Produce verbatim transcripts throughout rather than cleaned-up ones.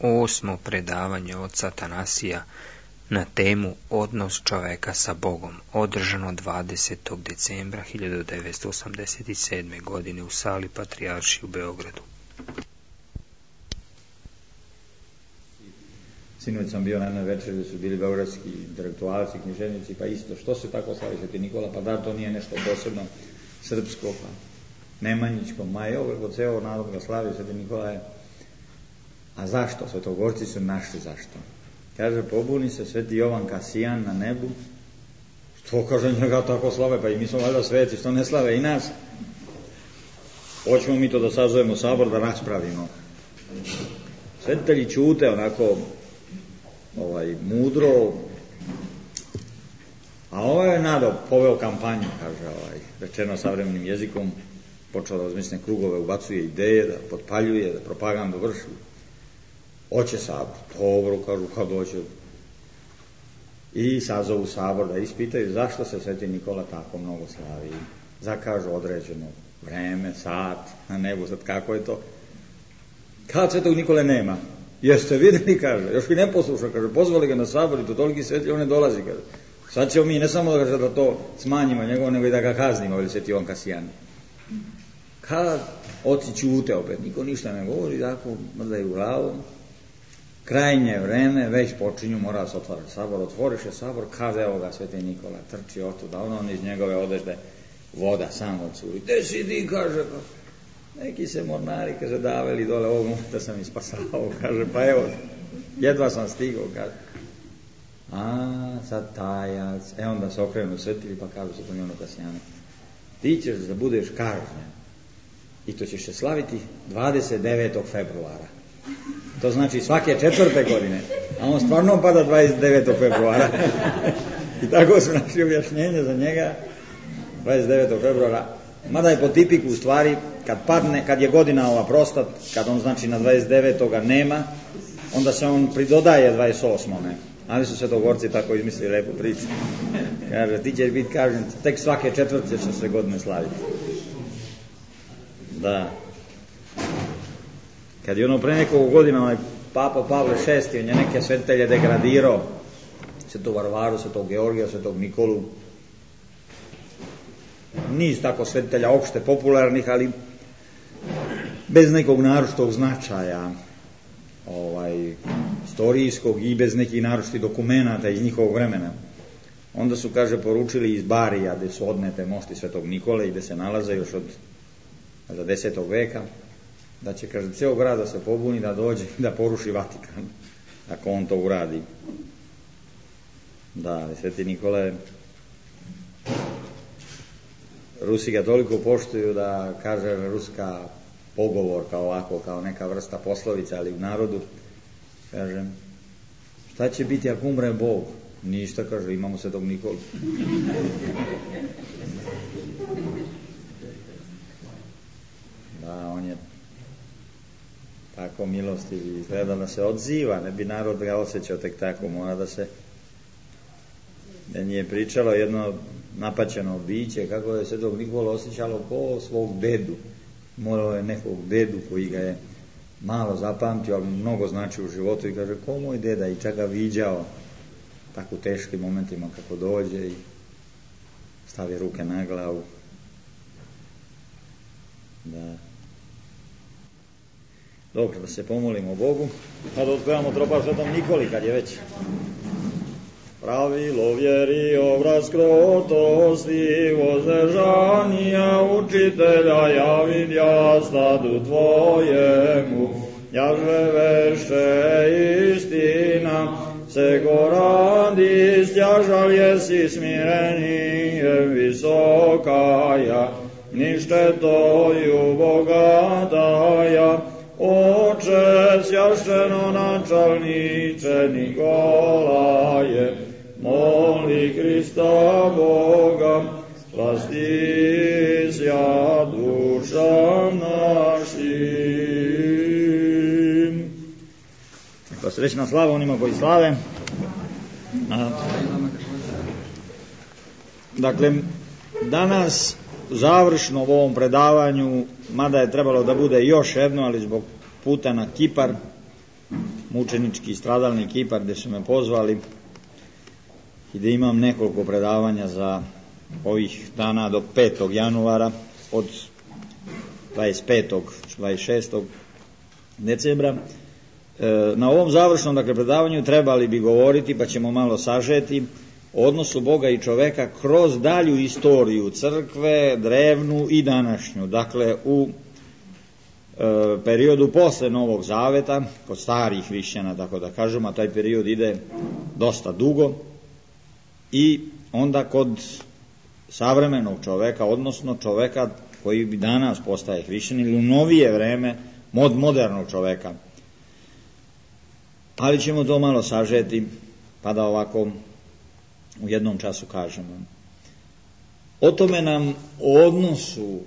osmo predavanje oca Atanasija na temu Odnos čoveka sa Bogom, održano dvadesetog decembra hiljadu devetsto osamdeset sedme. godine u sali Patrijaršije u Beogradu. Sinoć sam bio na jednoj večeri gdje su bili beogradski intelektualci, književnici, pa isto, što se tako slavi Sveti Nikola, pa da to nije nešto posebno srpsko, pa nemanjičko, ma je ovo, kod ceo narod ga slavi Sveti Nikola je. A zašto? Svetogorci su našli zašto. Kaže, pobuni se Sveti Jovan Kasijan na nebu, što kaže njega tako slave, pa i mi smo valjda sveci, što ne slave i nas. Hoćemo mi to da sazovemo sabor, da raspravimo. Svetitelji ćute onako ovaj, mudro, a ovo je nado poveo kampanju, kaže, ovaj, rečeno savremenim jezikom, počeo da razmišlja krugove, ubacuje ideje, da potpaljuje, da propagandu vrši. Hoće sabor, dobro, kažu, kad hoće. I sazovu sabor da ispitaju zašto se Sveti Nikola tako mnogo slavi. Zakažu određeno vreme, sat, na nebu, sad kako je to. Kad Svetog Nikole nema? Jeste vidjeli, kaže, još i ne posluša, kaže, pozvali ga na sabor i to toliki svetli, on ne dolazi, kaže. Sad ćemo mi ne samo da, kaže, da to smanjimo njegovo, nego i da ga kaznimo, ili Sveti Jovan Kasijan. Kad oci ćute opet, niko ništa ne govori, tako mrdaju glavom. Krajnje vreme, već počinju, mora se otvarati sabor, otvoriše sabor, kaže, evo ga Sveti Nikola, trči otuda, ono iz njegove odežde voda samo curi. Gde si ti, kaže, neki se mornari, kaže, daveli dole, ovog momenta sam ispasao, kaže, pa evo, jedva sam stigao, kaže. A, sad tajac, e onda se okrenu svetili, pa kažu se Svetom Jovanu Kasijanu, ti ćeš da budeš kažnjen i to ćeš se slaviti dvadeset devetog februara. To znači svake četvrte godine, a on stvarno pada dvadeset devetog februara. I tako su našli objašnjenje za njega, dvadeset devetog februara, mada je po tipiku u stvari, kad padne, kad je godina ova prostat, kad on znači na dvadeset devetog nema, onda se on pridodaje dvadeset osmog Ali su svetogorci tako izmislili lepu priču. Kaže, ti ćeš biti kažnjen, tek svake četvrte će se godine slaviti. Da. Kad je ono pre nekog godina, onaj Papa Pavle šesti, on je neke svetitelje degradirao, Svetog Varvaru, Svetog Georgija, Svetog Nikolu, niz tako svetitelja opšte popularnih, ali bez nekog naročitog značaja, ovaj, istorijskog i bez nekih naročitih dokumenata iz njihovog vremena. Onda su, kaže, poručili iz Barija, gde su odnete mošti Svetog Nikole i gde se nalaze još od za desetog veka, da će, kaže, cijel grad da se pobuni, da dođe da poruši Vatikan, ako on to uradi. Da, Sveti Nikole, Rusi ga toliko poštuju da, kaže, ruska pogovorka ovako, kao neka vrsta poslovica, ali u narodu, kaže, šta će biti ako umre Bog? Ništa, kaže, imamo Svetog Nikolu. Da, on je tako milostiv i izgleda da se odziva, ne bi narod ga osjećao tek tako, mora da se, meni je pričalo jedno napaćeno biće, kako je Svetog Nikola osjećalo ko svog dedu, morao je nekog dedu koji ga je malo zapamtio, ali mnogo znači u životu i kaže, ko moj deda, i čak ga viđao tako u teškim momentima kako dođe i stavi ruke na glavu. Da. Dobro, da se pomolimo Bogu, pa da otpevamo tropar Svetom Nikoli, kad je već. Pravilo vjeri, obraz krotosti, vozdržanja učitelja, ja vidja stadu tvojemu, jaže veše istina, se go radi, stjažal jesi smirenije visokaja, nište toju bogataja, Oče, svjašteno načalniče Nikolaje, moli Krista Boga, spasti sja duša našim. Pa srećna slava onima koji slave. A, dakle, danas završno u ovom predavanju, mada je trebalo da bude još jedno, ali zbog puta na Kipar, mučenički stradalni Kipar gdje su me pozvali i da imam nekoliko predavanja za ovih dana do petog januara, od dvadeset petog dvadeset šestog decembra. Na ovom završnom, dakle, predavanju trebali bi govoriti, pa ćemo malo sažeti, o odnosu Boga i čoveka kroz dalju istoriju crkve, drevnu i današnju. Dakle, u e, periodu posle Novog Zaveta, kod starih hrišćana, tako da kažemo, a taj period ide dosta dugo, i onda kod savremenog čoveka, odnosno čoveka koji bi danas postaje hrišćan, ili u novije vreme mod modernog čoveka. Ali ćemo to malo sažeti, pa da ovako u jednom času kažemo. O tome nam o odnosu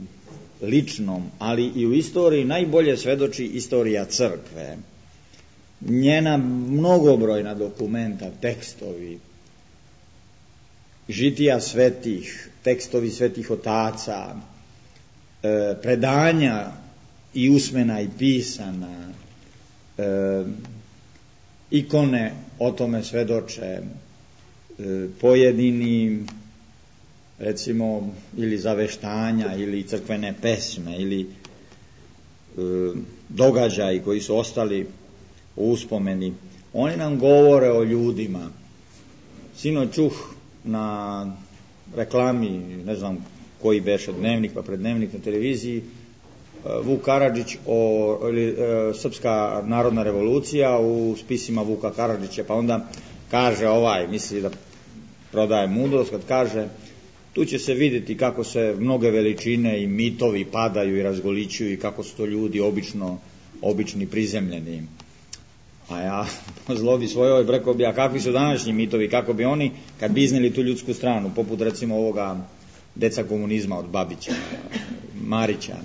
ličnom, ali i u istoriji najbolje svedoči istorija crkve. Njena mnogobrojna dokumenta, tekstovi, žitija svetih, tekstovi svetih otaca, e, predanja i usmena i pisana, e, ikone o tome svedoče, e, pojedini, recimo, ili zaveštanja, ili crkvene pesme, ili e, događaji koji su ostali u uspomeni. Oni nam govore o ljudima. Sinoć čuh na reklami, ne znam koji beše dnevnik, pa prednevnik na televiziji, Vuk Karadžić o ili, e, Srpska narodna revolucija u spisima Vuka Karadžića, pa onda kaže ovaj, misli da prodaje mudrost, kad kaže tu će se vidjeti kako se mnoge veličine i mitovi padaju i razgolićuju i kako su to ljudi obično, obični prizemljeni. A ja po zlobi svojoj rekao bi, a kakvi su današnji mitovi, kako bi oni, kad bi iznijeli tu ljudsku stranu, poput recimo ovoga deca komunizma od Babića, Marića.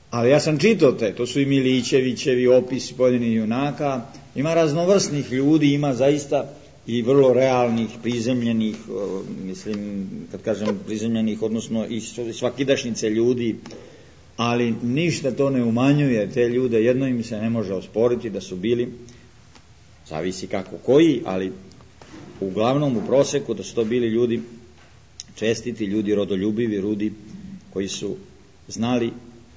Ali ja sam čitao te, to su i Milićevićevi opisi pojedinih junaka, ima raznovrsnih ljudi, ima zaista i vrlo realnih, prizemljenih, mislim, kad kažem prizemljenih, odnosno i svakidašnjice ljudi, ali ništa to ne umanjuje te ljude, jedno im se ne može osporiti da su bili, zavisi kako koji, ali uglavnom u proseku da su to bili ljudi čestiti, ljudi rodoljubivi, ljudi koji su znali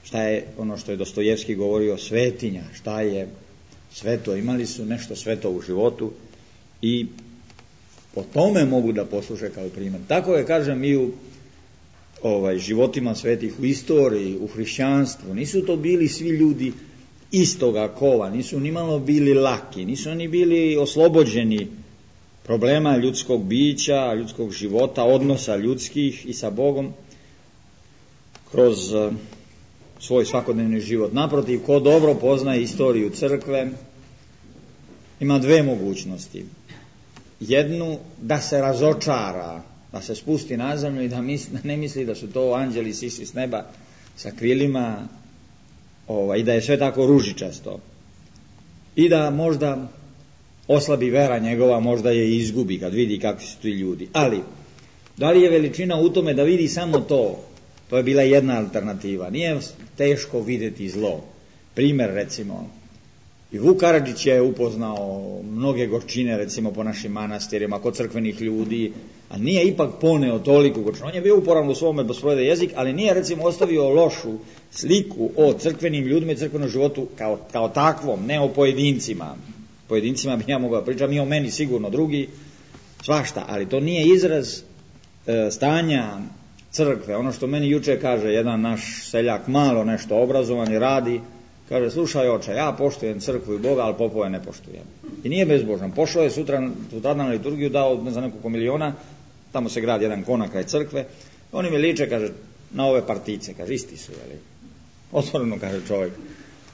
šta je ono što je Dostojevski govorio, svetinja, šta je sveto, imali su nešto sveto u životu i po tome mogu da posluže kao primjer. Tako je, kažem, i u ovaj, životima svetih, u istoriji, u hrišćanstvu. Nisu to bili svi ljudi istoga kova, nisu ni malo bili laki, nisu oni bili oslobođeni problema ljudskog bića, ljudskog života, odnosa ljudskih i sa Bogom kroz uh, svoj svakodnevni život. Naprotiv, ko dobro poznaje istoriju crkve, ima dve mogućnosti. Jednu, da se razočara, da se spusti na zemlju i da, misli, da ne misli da su to anđeli sišli s neba sa krilima, ovaj, i da je sve tako ružičasto. I da možda oslabi vera njegova, možda je izgubi kad vidi kakvi su ti ljudi. Ali, da li je veličina u tome da vidi samo to? To je bila jedna alternativa. Nije teško vidjeti zlo. Primjer, recimo, i Vuk Karadžić je upoznao mnoge gorčine, recimo, po našim manastirima, kod crkvenih ljudi, a nije ipak poneo toliko gorčina. On je bio uporan u svome bosprojede jezik, ali nije, recimo, ostavio lošu sliku o crkvenim ljudima i crkvenom životu kao, kao takvom, ne o pojedincima. Pojedincima bi ja mogao pričati, mi o meni sigurno drugi, svašta, ali to nije izraz e, stanja crkve. Ono što meni juče kaže jedan naš seljak, malo nešto obrazovan i radi, kaže, slušaj oče, ja poštujem crkvu i Boga, ali popove ne poštujem. I nije bezbožan. Pošao je sutra, sutra na liturgiju, dao ne znam nekoliko miliona, tamo se gradi jedan konak kraj crkve, oni mi liče, kaže, na ove partice, kaže, isti su, jeli? Otvoreno, kaže čovjek.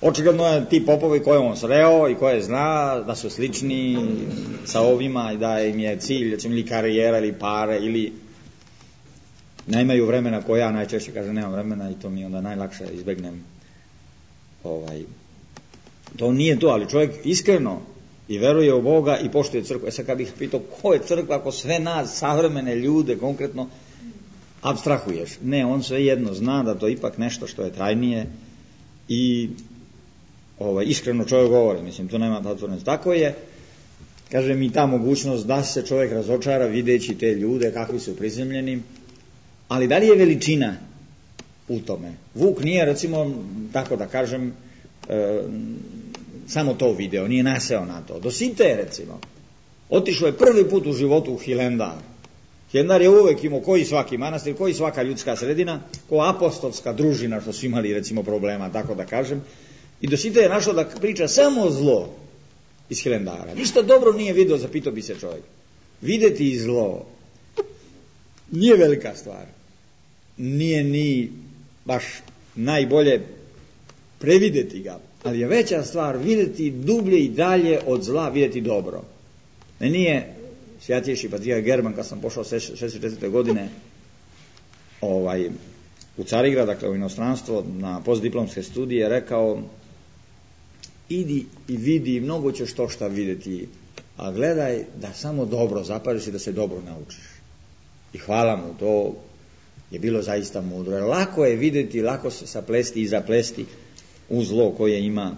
Očigledno je ti popovi koje on sreo i koje zna da su slični sa ovima i da im je cilj, recimo, ili karijera, ili pare, ili nemaju vremena, koja ja najčešće, kaže, nemam vremena i to mi onda najlakše izbegnem. Ovaj, to nije to, ali čovjek iskreno i veruje u Boga i poštuje crkvu. E sad kad bih pitao ko je crkva, ako sve nas, savremene ljude konkretno apstrahuješ. Ne, on sve jedno zna da to ipak nešto što je trajnije i ovaj, iskreno čovjek govori, mislim, tu nema zatvorenost. Tako je, kaže mi, ta mogućnost da se čovjek razočara videći te ljude kakvi su prizemljeni, ali da li je veličina u tome? Vuk nije, recimo, tako da kažem, e, samo to video, nije naseo na to. Dosite, recimo, otišao je prvi put u životu u Hilendar. Hilendar je uvek imao, koji svaki manastir, koji svaka ljudska sredina, ko apostolska družina, što su imali, recimo, problema, tako da kažem. I Dosite je našao da priča samo zlo iz Hilendara. Ništa dobro nije video, zapitao bi se čovjek. Videti i zlo nije velika stvar. Nije ni baš najbolje prevideti ga, ali je veća stvar videti dublje i dalje od zla, videti dobro. Ne nije svjatjejši patrijarh German, kad sam pošao šezdeset četvrte godine ovaj, u Carigrad, dakle u inostranstvo, na postdiplomske studije, rekao: idi i vidi, mnogo ćeš to šta vidjeti, a gledaj da samo dobro zapažiš i da se dobro naučiš. I hvala mu, to je bilo zaista mudro. Jer lako je vidjeti, lako se saplesti i zaplesti u zlo koje ima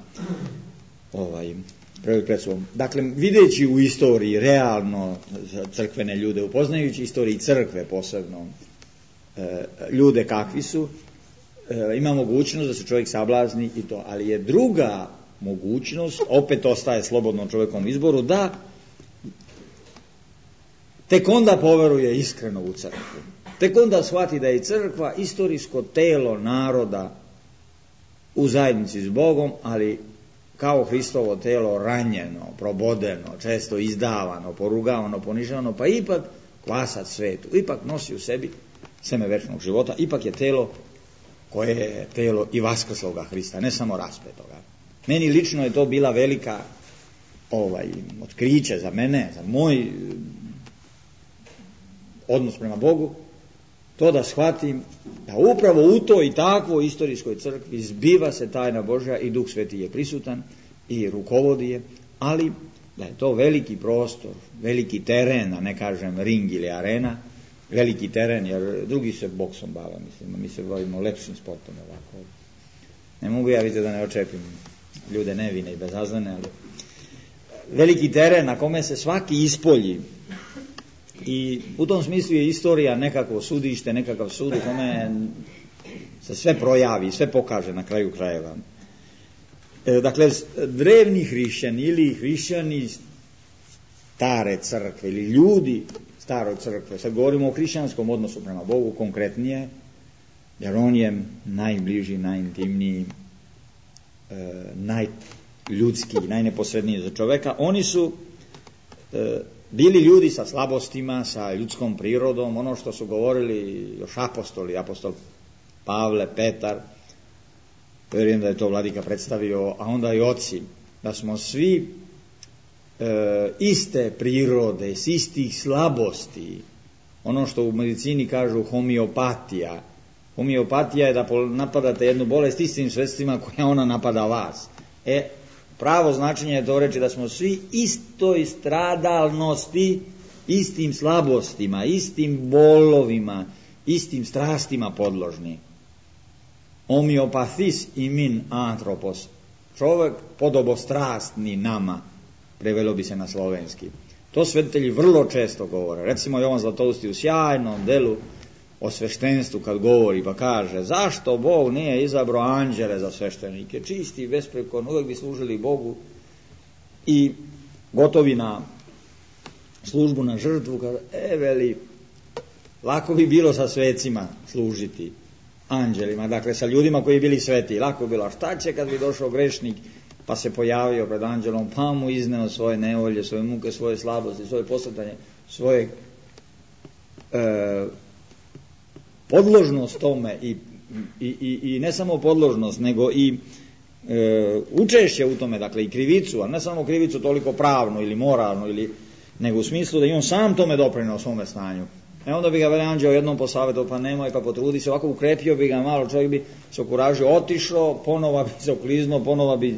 ovaj, pred sobom. Dakle, videći u istoriji realno crkvene ljude, upoznajući istoriji crkve posebno, e, ljude kakvi su, e, ima mogućnost da se čovjek sablazni i to. Ali je druga mogućnost, opet ostaje slobodno čovjekom izboru, da tek onda poveruje iskreno u crkvu. Tek onda shvati da je crkva istorijsko telo naroda u zajednici s Bogom, ali kao Hristovo telo ranjeno, probodeno, često izdavano, porugavano, ponižavano, pa ipak kvasac svetu, ipak nosi u sebi seme večnog života, ipak je telo koje je telo i vaskrsloga Hrista, ne samo raspetoga. Meni lično je to bila velika ovaj, otkriće za mene, za moj odnos prema Bogu, to da shvatim da upravo u toj i takvoj istorijskoj crkvi zbiva se tajna Božja i Duh Sveti je prisutan i rukovodi je, ali da je to veliki prostor, veliki teren, a ne kažem ring ili arena, veliki teren, jer drugi se boksom bave, mislim, mi se bavimo lepšim sportom ovako. Ne mogu ja vidjeti da ne očepim ljude nevine i bezazlene, ali veliki teren na kome se svaki ispolji. I u tom smislu je istorija nekako sudište, nekakav sud u kome se sve projavi, sve pokaže na kraju krajeva. E, dakle, drevni hrišćani ili hrišćani stare crkve ili ljudi staroj crkve, sad govorimo o hrišćanskom odnosu prema Bogu konkretnije, jer on je najbliži, najintimniji, e, najljudski, najneposredniji za čoveka. Oni su e, bili ljudi sa slabostima, sa ljudskom prirodom, ono što su govorili još apostoli, apostol Pavle, Petar, vjerujem da je to vladika predstavio, a onda i oci, da smo svi e, iste prirode, s istih slabosti, ono što u medicini kažu homeopatija. Homeopatija je da napadate jednu bolest istim sredstvima koja ona napada vas. E, pravo značenje je to reći da smo svi istoj stradalnosti, istim slabostima, istim bolovima, istim strastima podložni. Homeopathis imin antropos. Čovjek podobostrastni nama, prevelo bi se na slovenski. To svetitelji vrlo često govore. Recimo Jovan Zlatousti u sjajnom delu o sveštenstvu kad govori pa kaže: zašto Bog nije izabrao anđele za sveštenike, čisti i besprekorni, uvijek bi služili Bogu i gotovi na službu, na žrtvu. Kaže, e veli, lako bi bilo sa svecima služiti, anđelima, dakle sa ljudima koji bili sveti, lako bi bilo. A šta će kad bi došao grešnik pa se pojavio pred anđelom, pa mu izneo svoje nevolje, svoje muke, svoje slabosti, svoje posretanje, svoje e, podložnost tome i, i, i, i ne samo podložnost, nego i e, učešće u tome, dakle i krivicu, a ne samo krivicu toliko pravnu ili moralnu, ili, nego u smislu da i on sam tome doprinao svome stanju. E onda bi ga veli anđeo jednom posavjetao, pa nemoj, pa potrudi se, ovako ukrepio bi ga malo, čovjek bi se okuražio, otišao, ponova bi se okliznuo, ponova bi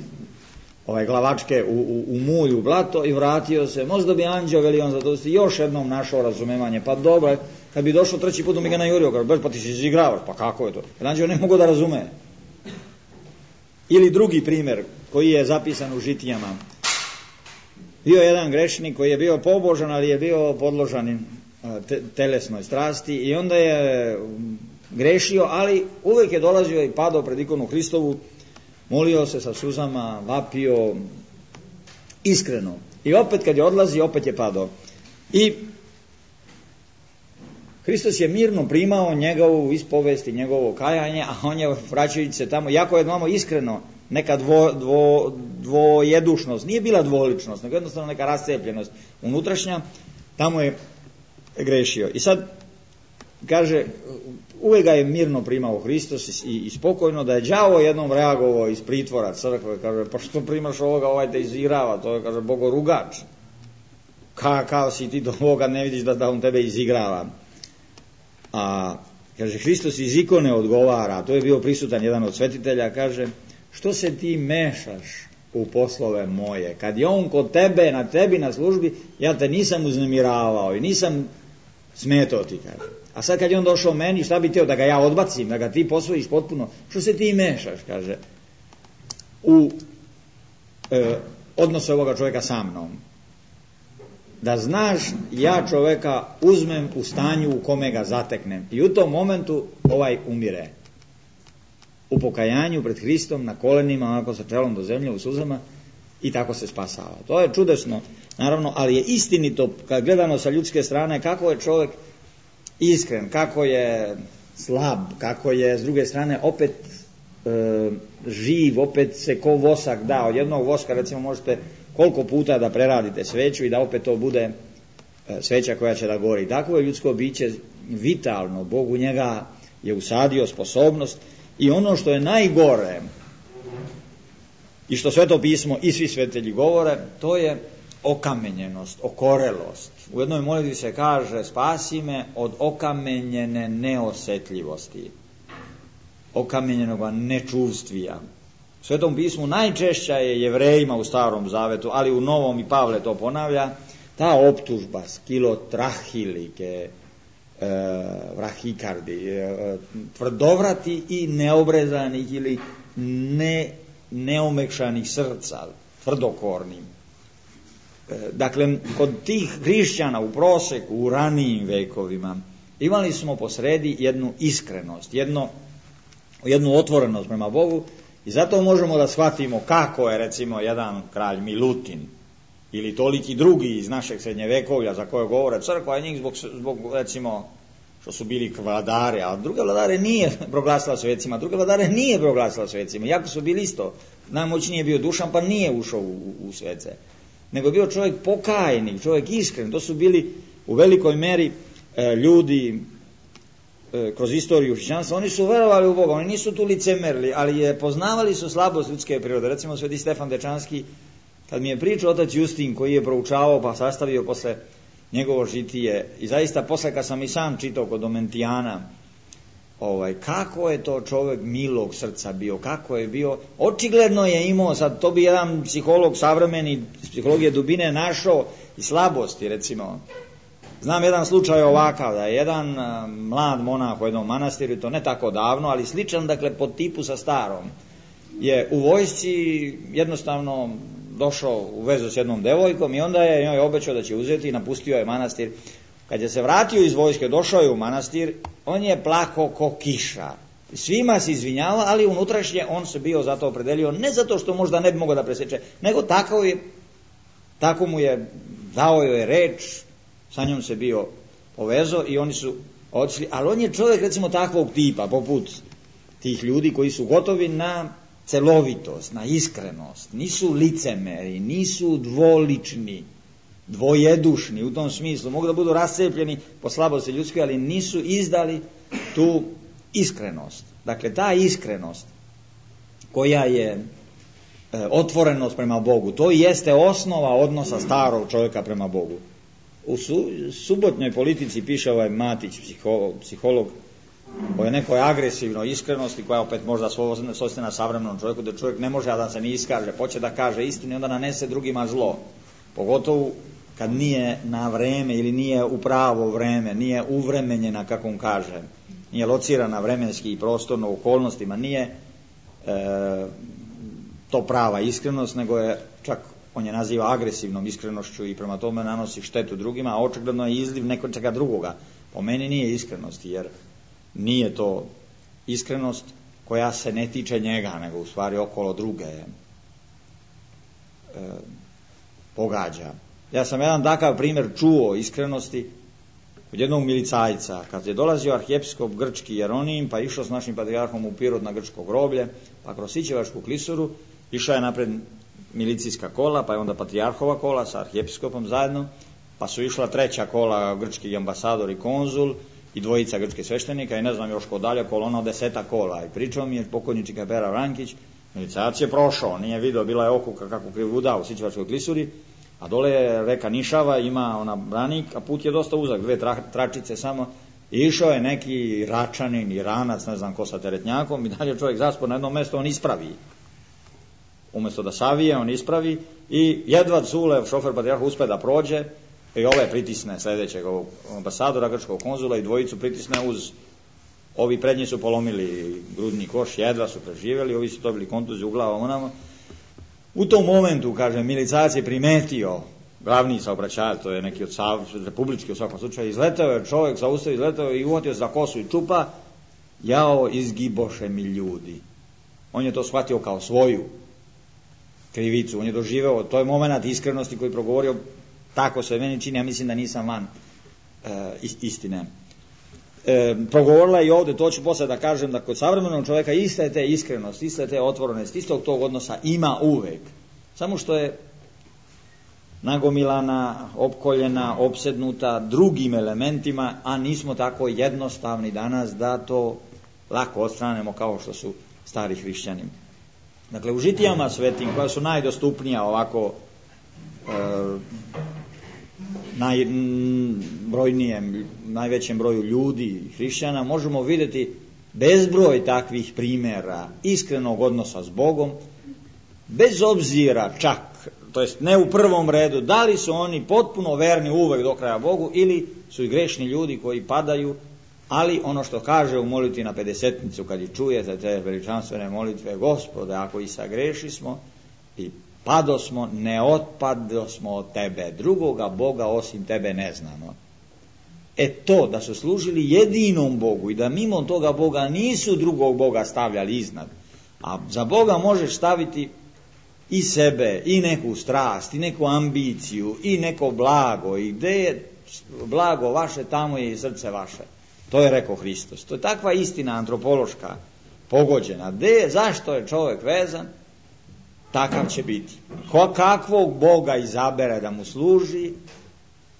ovaj, glavačke u, u, u mulj, u blato i vratio se. Možda bi anđeo, veli on Zlatousti, još jednom našao razumevanje, pa dobro, kad bi došao treći put mi ga najurio, kaže, pa ti si izigravaš, pa kako je to? Jer anđeo ne mogu da razume. Ili drugi primjer koji je zapisan u Žitijama. Bio je jedan grešnik koji je bio pobožan, ali je bio podložan te, telesnoj strasti i onda je grešio, ali uvijek je dolazio i padao pred ikonu Hristovu, molio se sa suzama, vapio iskreno. I opet kad je odlazi, opet je padao. I Hristos je mirno primao njegovu ispovest i njegovo kajanje, a on je vraćajući se tamo, jako je znamo iskreno, neka dvo, dvo, dvojedušnost, nije bila dvoličnost, nego jednostavno neka rascepljenost unutrašnja, tamo je grešio. I sad kaže, uvijek ga je mirno primao Hristos i, i spokojno, da je đavo jednom reagovao iz pritvora crkve, kaže, pa što primaš ovoga, ovaj te izigrava, to je, kaže, bogorugač. Ka, kao si ti do ovoga ne vidiš da, da on tebe izigrava. A, kaže, Hristos iz ikone odgovara, to je bio prisutan jedan od svetitelja, kaže, što se ti mešaš u poslove moje? Kad je on kod tebe, na tebi, na službi, ja te nisam uznemiravao i nisam smetao ti, kaže. A sad kad je on došao meni, šta bi teo, da ga ja odbacim, da ga ti posvojiš potpuno? Što se ti mešaš, kaže, u e, odnose ovoga čovjeka sa mnom? Da znaš, ja čovjeka uzmem u stanju u kome ga zateknem. I u tom momentu ovaj umire. U pokajanju pred Hristom, na kolenima, onako sa čelom do zemlje, u suzama, i tako se spasava. To je čudesno, naravno, ali je istinito, kad gledano sa ljudske strane, kako je čovjek iskren, kako je slab, kako je s druge strane opet e, živ, opet se ko vosak da. Od jednog voska recimo možete koliko puta da preradite sveću i da opet to bude e, sveća koja će da gori. Tako je ljudsko biće vitalno, Bog u njega je usadio sposobnost i ono što je najgore i što Sveto pismo i svi svetitelji govore, to je okamenjenost, okorelost. U jednoj molitvi se kaže, spasi me od okamenjene neosjetljivosti, okamenjenog nečuvstvija. U Svetom pismu najčešća je Jevrejima u Starom Zavetu, ali u Novom i Pavle to ponavlja, ta optužba skilotrahilike, e, vrahikardi, e, tvrdovrati i neobrezanih ili ne, neomekšanih srca, tvrdokornim. Dakle, kod tih hrišćana u proseku, u ranijim vekovima, imali smo posredi jednu iskrenost, jedno, jednu otvorenost prema Bogu i zato možemo da shvatimo kako je, recimo, jedan kralj Milutin ili toliki drugi iz našeg srednjevekovlja za koje govore crkva, njih zbog, zbog, recimo, što su bili vladari, a druge vladare nije proglasila svecima, druge vladare nije proglasila svecima, jako su bili isto. Najmoćniji je bio Dušan, pa nije ušao u, u svece. Nego bio čovjek pokajnik, čovjek iskren. To su bili u velikoj meri e, ljudi e, kroz istoriju hrišćanstva. Oni su verovali u Boga, oni nisu tu licemerili, ali je poznavali su slabost ljudske prirode. Recimo sveti Stefan Dečanski, kad mi je pričao otac Justin, koji je proučavao pa sastavio posle njegovo žitije, i zaista posle kad sam i sam čitao kod Domentijana, ovaj, kako je to čovjek milog srca bio, kako je bio, očigledno je imao, sad to bi jedan psiholog savremeni, psihologije dubine našao i slabosti, recimo. Znam jedan slučaj ovakav, da je jedan uh, mlad monah u jednom manastiru, to ne tako davno, ali sličan, dakle, po tipu sa starom, je u vojsci jednostavno došao u vezu s jednom devojkom i onda je njoj obećao da će uzeti i napustio je manastir. Kad je se vratio iz vojske, došao je u manastir, on je plako ko kiša. Svima se izvinjava, ali unutrašnje on se bio zato opredelio, ne zato što možda ne bi mogao da preseče, nego tako je, tako mu je, dao joj je reč, sa njom se bio povezao i oni su otišli, ali on je čovjek, recimo, takvog tipa, poput tih ljudi koji su gotovi na celovitost, na iskrenost, nisu licemeri, nisu dvolični, dvojedušni u tom smislu, mogu da budu rascepljeni po slabosti ljudskoj, ali nisu izdali tu iskrenost. Dakle, ta iskrenost koja je e, otvorenost prema Bogu, to jeste osnova odnosa starog čovjeka prema Bogu. U su, subotnjoj politici piše ovaj Matić, psiholog, psiholog o nekoj agresivnoj iskrenosti koja opet možda svojstvena savremenom čovjeku, da čovjek ne može da se ne iskaže, hoće da kaže istinu i onda nanese drugima zlo. Pogotovo kad nije na vreme ili nije u pravo vreme, nije uvremenjena, kako on kaže, nije locirana vremenski i prostorno u okolnostima, nije e, to prava iskrenost, nego je čak, on je naziva agresivnom iskrenošću i prema tome nanosi štetu drugima, a očigledno je izliv nekog čega drugoga. Po meni nije iskrenost, jer nije to iskrenost koja se ne tiče njega, nego u stvari okolo druge e, pogađa. Ja sam jedan takav primjer čuo iskrenosti od jednog milicajca, kad je dolazio arhijepiskop grčki Jeronim, pa išao s našim patrijarhom u Pirot na grčko groblje, pa kroz Sićevačku klisuru išao je napred milicijska kola, pa je onda patrijarhova kola sa arhijepiskopom zajedno, pa su išla treća kola, grčki ambasador i konzul i dvojica grčkih sveštenika i ne znam još ko dalje, kolona od deseta kola. I pričao mi je pokojni Čikapera Vrankić, milicajac je prošao, nije video, bila je okuka kako krivuda u Sićevačkoj klisuri, a dole je reka Nišava, ima ona branik, a put je dosta uzak, dve tra, tračice samo, i išao je neki Račanin, Iranac, ne znam ko sa teretnjakom, i dalje čovjek zaspor na jedno mjesto, on ispravi. Umjesto da savije, on ispravi i jedva Cule, šofer patrijarha, uspe da prođe i ove pritisne sljedećeg ovog ambasadora, grčkog konzula i dvojicu pritisne uz, ovi prednji su polomili grudni koš, jedva su preživjeli, ovi su dobili kontuziju u glavu onamo. U tom momentu, kaže, milicajac je primetio, glavni saobraćajac, to je neki od sav, republički u svakom slučaju, izletao je čovjek, zaustavio, izletao i uhvatio se za kosu i čupa, jao, izgiboše mi ljudi. On je to shvatio kao svoju krivicu, on je doživeo, to je moment iskrenosti koji je progovorio, tako se meni čini, ja mislim da nisam van e, istine. E, progovorila i ovdje, to ću posle da kažem, da kod savremenog čovjeka iste te iskrenost, iste te otvorenost, istog tog odnosa ima uvek. Samo što je nagomilana, opkoljena, opsednuta drugim elementima, a nismo tako jednostavni danas da to lako odstranemo kao što su stari hrišćani. Dakle, u žitijama svetim, koja su najdostupnija ovako e, najbrojnijem, najvećem broju ljudi, hrišćana, možemo vidjeti bezbroj takvih primjera iskrenog odnosa s Bogom, bez obzira čak, to jest ne u prvom redu, da li su oni potpuno verni uvek do kraja Bogu ili su i grešni ljudi koji padaju, ali ono što kaže u molitvi na pedesetnicu, kad i čujete te veličanstvene molitve, Gospode, ako i sagreši smo i pado smo, ne otpado smo od tebe, drugoga Boga osim tebe ne znamo. E to, da su služili jedinom Bogu i da mimo toga Boga nisu drugog Boga stavljali iznad, a za Boga možeš staviti i sebe, i neku strast, i neku ambiciju, i neko blago, i gde je blago vaše, tamo je i srce vaše. To je rekao Hristos. To je takva istina antropološka, pogođena. Gde, zašto je čovjek vezan, takav će biti. Ko, kakvog Boga izabere da mu služi,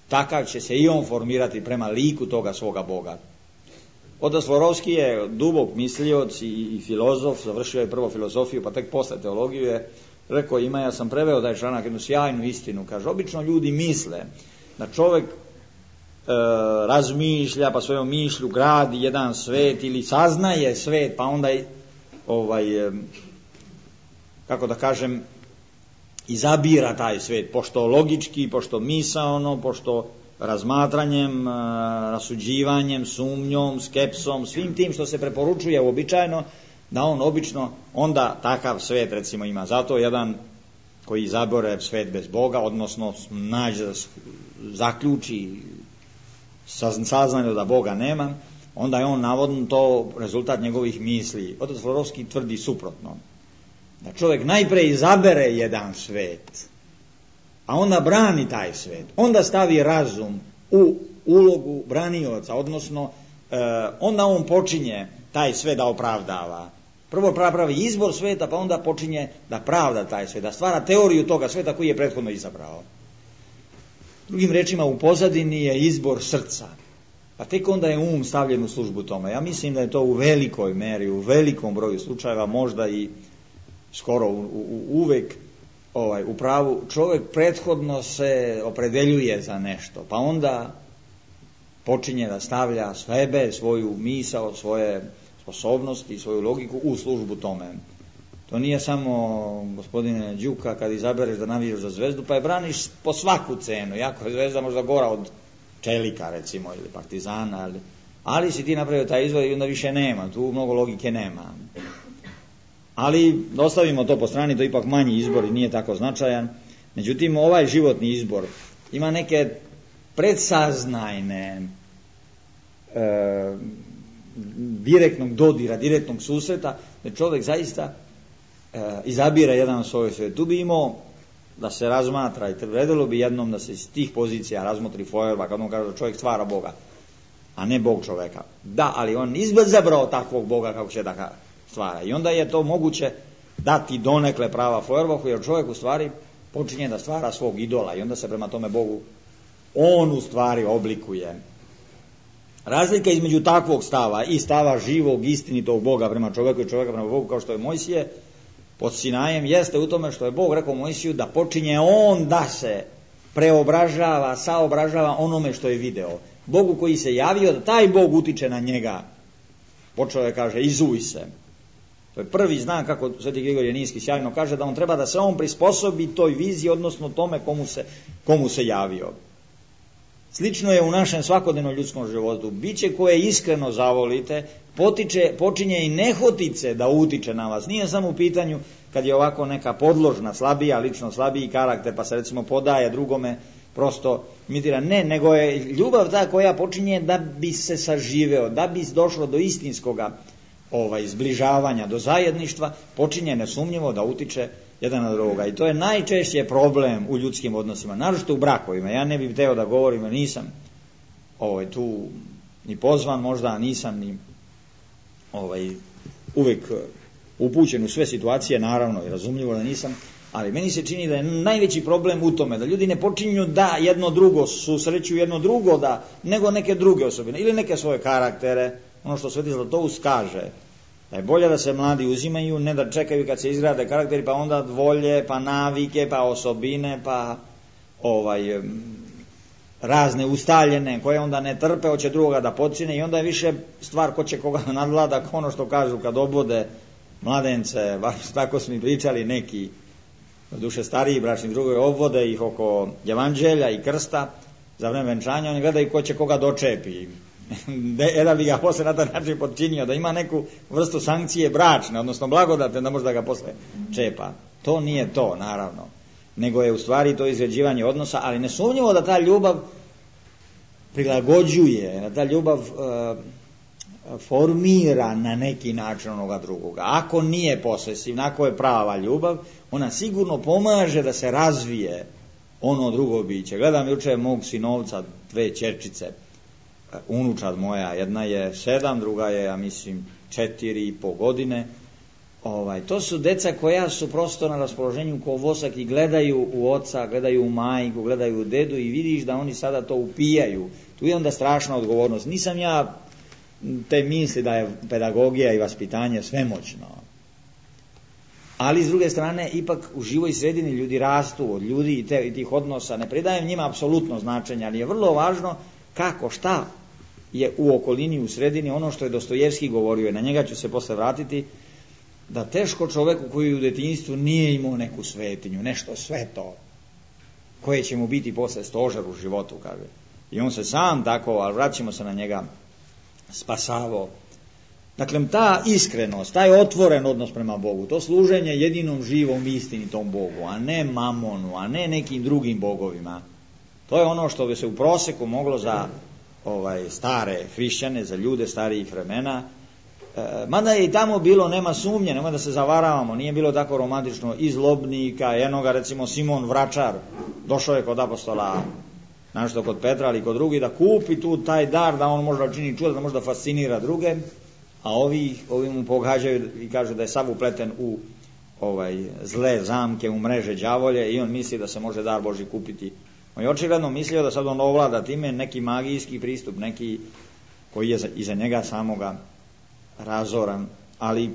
takav će se i on formirati prema liku toga svoga Boga. Otac Florovski je dubok mislioc i, i filozof, završio je prvo filozofiju, pa tek posle teologiju je rekao, ima, ja sam preveo taj članak, jednu sjajnu istinu, kaže, obično ljudi misle da čovjek e, razmišlja, pa svojom mišlju gradi jedan svet ili saznaje svet, pa onda ovaj, e, kako da kažem, izabira taj svet, pošto logički, pošto misaono, pošto razmatranjem, rasuđivanjem, sumnjom, skepsom, svim tim što se preporučuje uobičajeno, da on obično onda takav svet recimo ima. Zato jedan koji izabere svet bez Boga, odnosno nađe, zaključi saznanje da Boga nema, onda je on navodno to rezultat njegovih misli. Otac Florovski tvrdi suprotno. Da čovjek najpre izabere jedan svet, a onda brani taj svet, onda stavi razum u ulogu branioca, odnosno e, onda on počinje taj svet da opravdava. Prvo pravi izbor sveta, pa onda počinje da pravda taj svet, da stvara teoriju toga sveta koji je prethodno izabrao. Drugim rečima, u pozadini je izbor srca, pa tek onda je um stavljen u službu tome. Ja mislim da je to u velikoj meri, u velikom broju slučajeva, možda i skoro u, u, uvek ovaj, u pravu, čovjek prethodno se opredeljuje za nešto, pa onda počinje da stavlja sebe, svoju misao, svoje sposobnosti, svoju logiku u službu tome. To nije samo, gospodine Đuka, kad izabereš da navijaš za Zvezdu, pa je braniš po svaku cenu, jako je Zvezda možda gora od Čelika, recimo, ili Partizana, ali, ali si ti napravio taj izvod i onda više nema, tu mnogo logike nema. Ali ostavimo to po strani, to je ipak manji izbor i nije tako značajan. Međutim, ovaj životni izbor ima neke predsaznajne e, direktnog dodira, direktnog susreta, da čovjek zaista e, izabira jedan svoj svijet. Tu bi imao da se razmatra i trebalo bi jednom da se iz tih pozicija razmotri Feuerbach, kad on kaže da čovjek stvara Boga, a ne Bog čovjeka. Da, ali on izabrao takvog Boga kako će da ga stvara. I onda je to moguće dati donekle prava Feuerbachu, jer čovjek u stvari počinje da stvara svog idola i onda se prema tome Bogu on u stvari oblikuje. Razlika između takvog stava i stava živog, istinitog Boga prema čovjeku i čovjeka prema Bogu, kao što je Mojsije pod Sinajem, jeste u tome što je Bog rekao Mojsiju da počinje on da se preobražava, saobražava onome što je video. Bogu koji se javio, da taj Bog utiče na njega. Počeo je, kaže, izuj se. To je prvi znak, kako Sveti Grigorije Ninski sjajno kaže, da on treba da se on prisposobi toj viziji, odnosno tome komu se, komu se javio. Slično je u našem svakodnevnom ljudskom životu. Biće koje iskreno zavolite, potiče, počinje i nehotice da utiče na vas. Nije samo u pitanju kad je ovako neka podložna, slabija, lično slabiji karakter, pa se recimo podaje drugome, prosto imitira. Ne, nego je ljubav ta koja počinje da bi se saživeo, da bi došlo do istinskoga ovaj, zbližavanja, do zajedništva, počinje nesumnjivo da utiče jedan na drugoga. I to je najčešće problem u ljudskim odnosima, naročito u brakovima. Ja ne bih hteo da govorim, jer nisam ovaj, tu ni pozvan, možda nisam ni ovaj, uvek upućen u sve situacije, naravno i razumljivo da nisam, ali meni se čini da je najveći problem u tome da ljudi ne počinju da jedno drugo susreću, jedno drugo da, nego neke druge osobine ili neke svoje karaktere, ono što Sveti Zlatoust kaže, da je bolje da se mladi uzimaju, ne da čekaju kad se izgrade karakteri, pa onda volje, pa navike, pa osobine, pa ovaj, razne ustaljene, koje onda ne trpe, hoće drugoga da počine i onda je više stvar ko će koga nadvlada, ono što kažu kad obode mladence, baš tako su mi pričali neki, duše stariji bračni drugovi, obvode ih oko evanđelja i krsta za vreme venčanja, oni gledaju ko će koga dočepi. Jedan bi ga posle na taj način podčinio, da ima neku vrstu sankcije bračne, odnosno blagodate, da možda ga posle čepa. To nije to, naravno, nego je u stvari to izgrađivanje odnosa, ali nesumnjivo da ta ljubav prilagođuje, da ta ljubav uh, formira na neki način onoga drugoga. Ako nije posesivna, ako je prava ljubav, ona sigurno pomaže da se razvije ono drugo biće. Gledam juče mog sinovca, dve ćerčice, unučad moja, jedna je sedam, druga je, ja mislim, četiri i po godine. Ovaj, to su deca koja su prosto na raspoloženju ko vosak i gledaju u oca, gledaju u majku, gledaju u dedu i vidiš da oni sada to upijaju. Tu je onda strašna odgovornost. Nisam ja te misli da je pedagogija i vaspitanje svemoćno. Ali s druge strane, ipak u živoj sredini ljudi rastu od ljudi i, te, i tih odnosa. Ne pridajem njima apsolutno značenje, ali je vrlo važno kako, šta je u okolini, u sredini, ono što je Dostojevski govorio, na njega ću se posle vratiti, da teško čoveku koji u detinjstvu nije imao neku svetinju, nešto sveto, koje će mu biti posle stožer u životu, kaže. I on se sam tako, ali vraćamo se na njega, spasavao. Dakle, ta iskrenost, taj otvoren odnos prema Bogu, to služenje jedinom živom istinitom Bogu, a ne mamonu, a ne nekim drugim bogovima, to je ono što bi se u proseku moglo za ovaj, stare hrišćane, za ljude starijih vremena. E, mada je i tamo bilo, nema sumnje, nema da se zavaravamo, nije bilo tako romantično iz Lobnika, jednoga recimo Simon Vračar, došao je kod apostola, našto kod Petra, ali kod drugih, da kupi tu taj dar, da on možda čini čuda, da možda fascinira druge, a ovi, ovi mu pogađaju i kažu da je sav upleten u ovaj, zle zamke, u mreže đavolje i on misli da se može dar Božji kupiti. On je očigledno mislio da sad on ovlada time neki magijski pristup, neki koji je iza njega samoga razoran, ali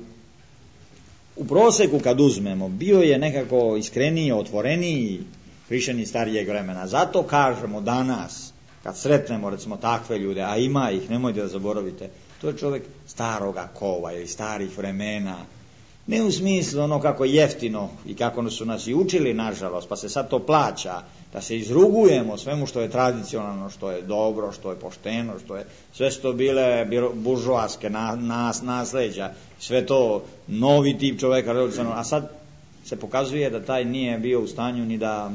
u proseku kad uzmemo, bio je nekako iskreniji, otvoreniji hrišćani starijeg vremena. Zato kažemo danas, kad sretnemo recimo takve ljude, a ima ih, nemojte da zaboravite, to je čovjek staroga kova ili starih vremena, Ne u smislu ono kako jeftino i kako su nas i učili, nažalost, pa se sad to plaća, da se izrugujemo svemu što je tradicionalno, što je dobro, što je pošteno, što je sve što bile buržoaske nas, nasleđa, sve to novi tip čoveka, a sad se pokazuje da taj nije bio u stanju ni da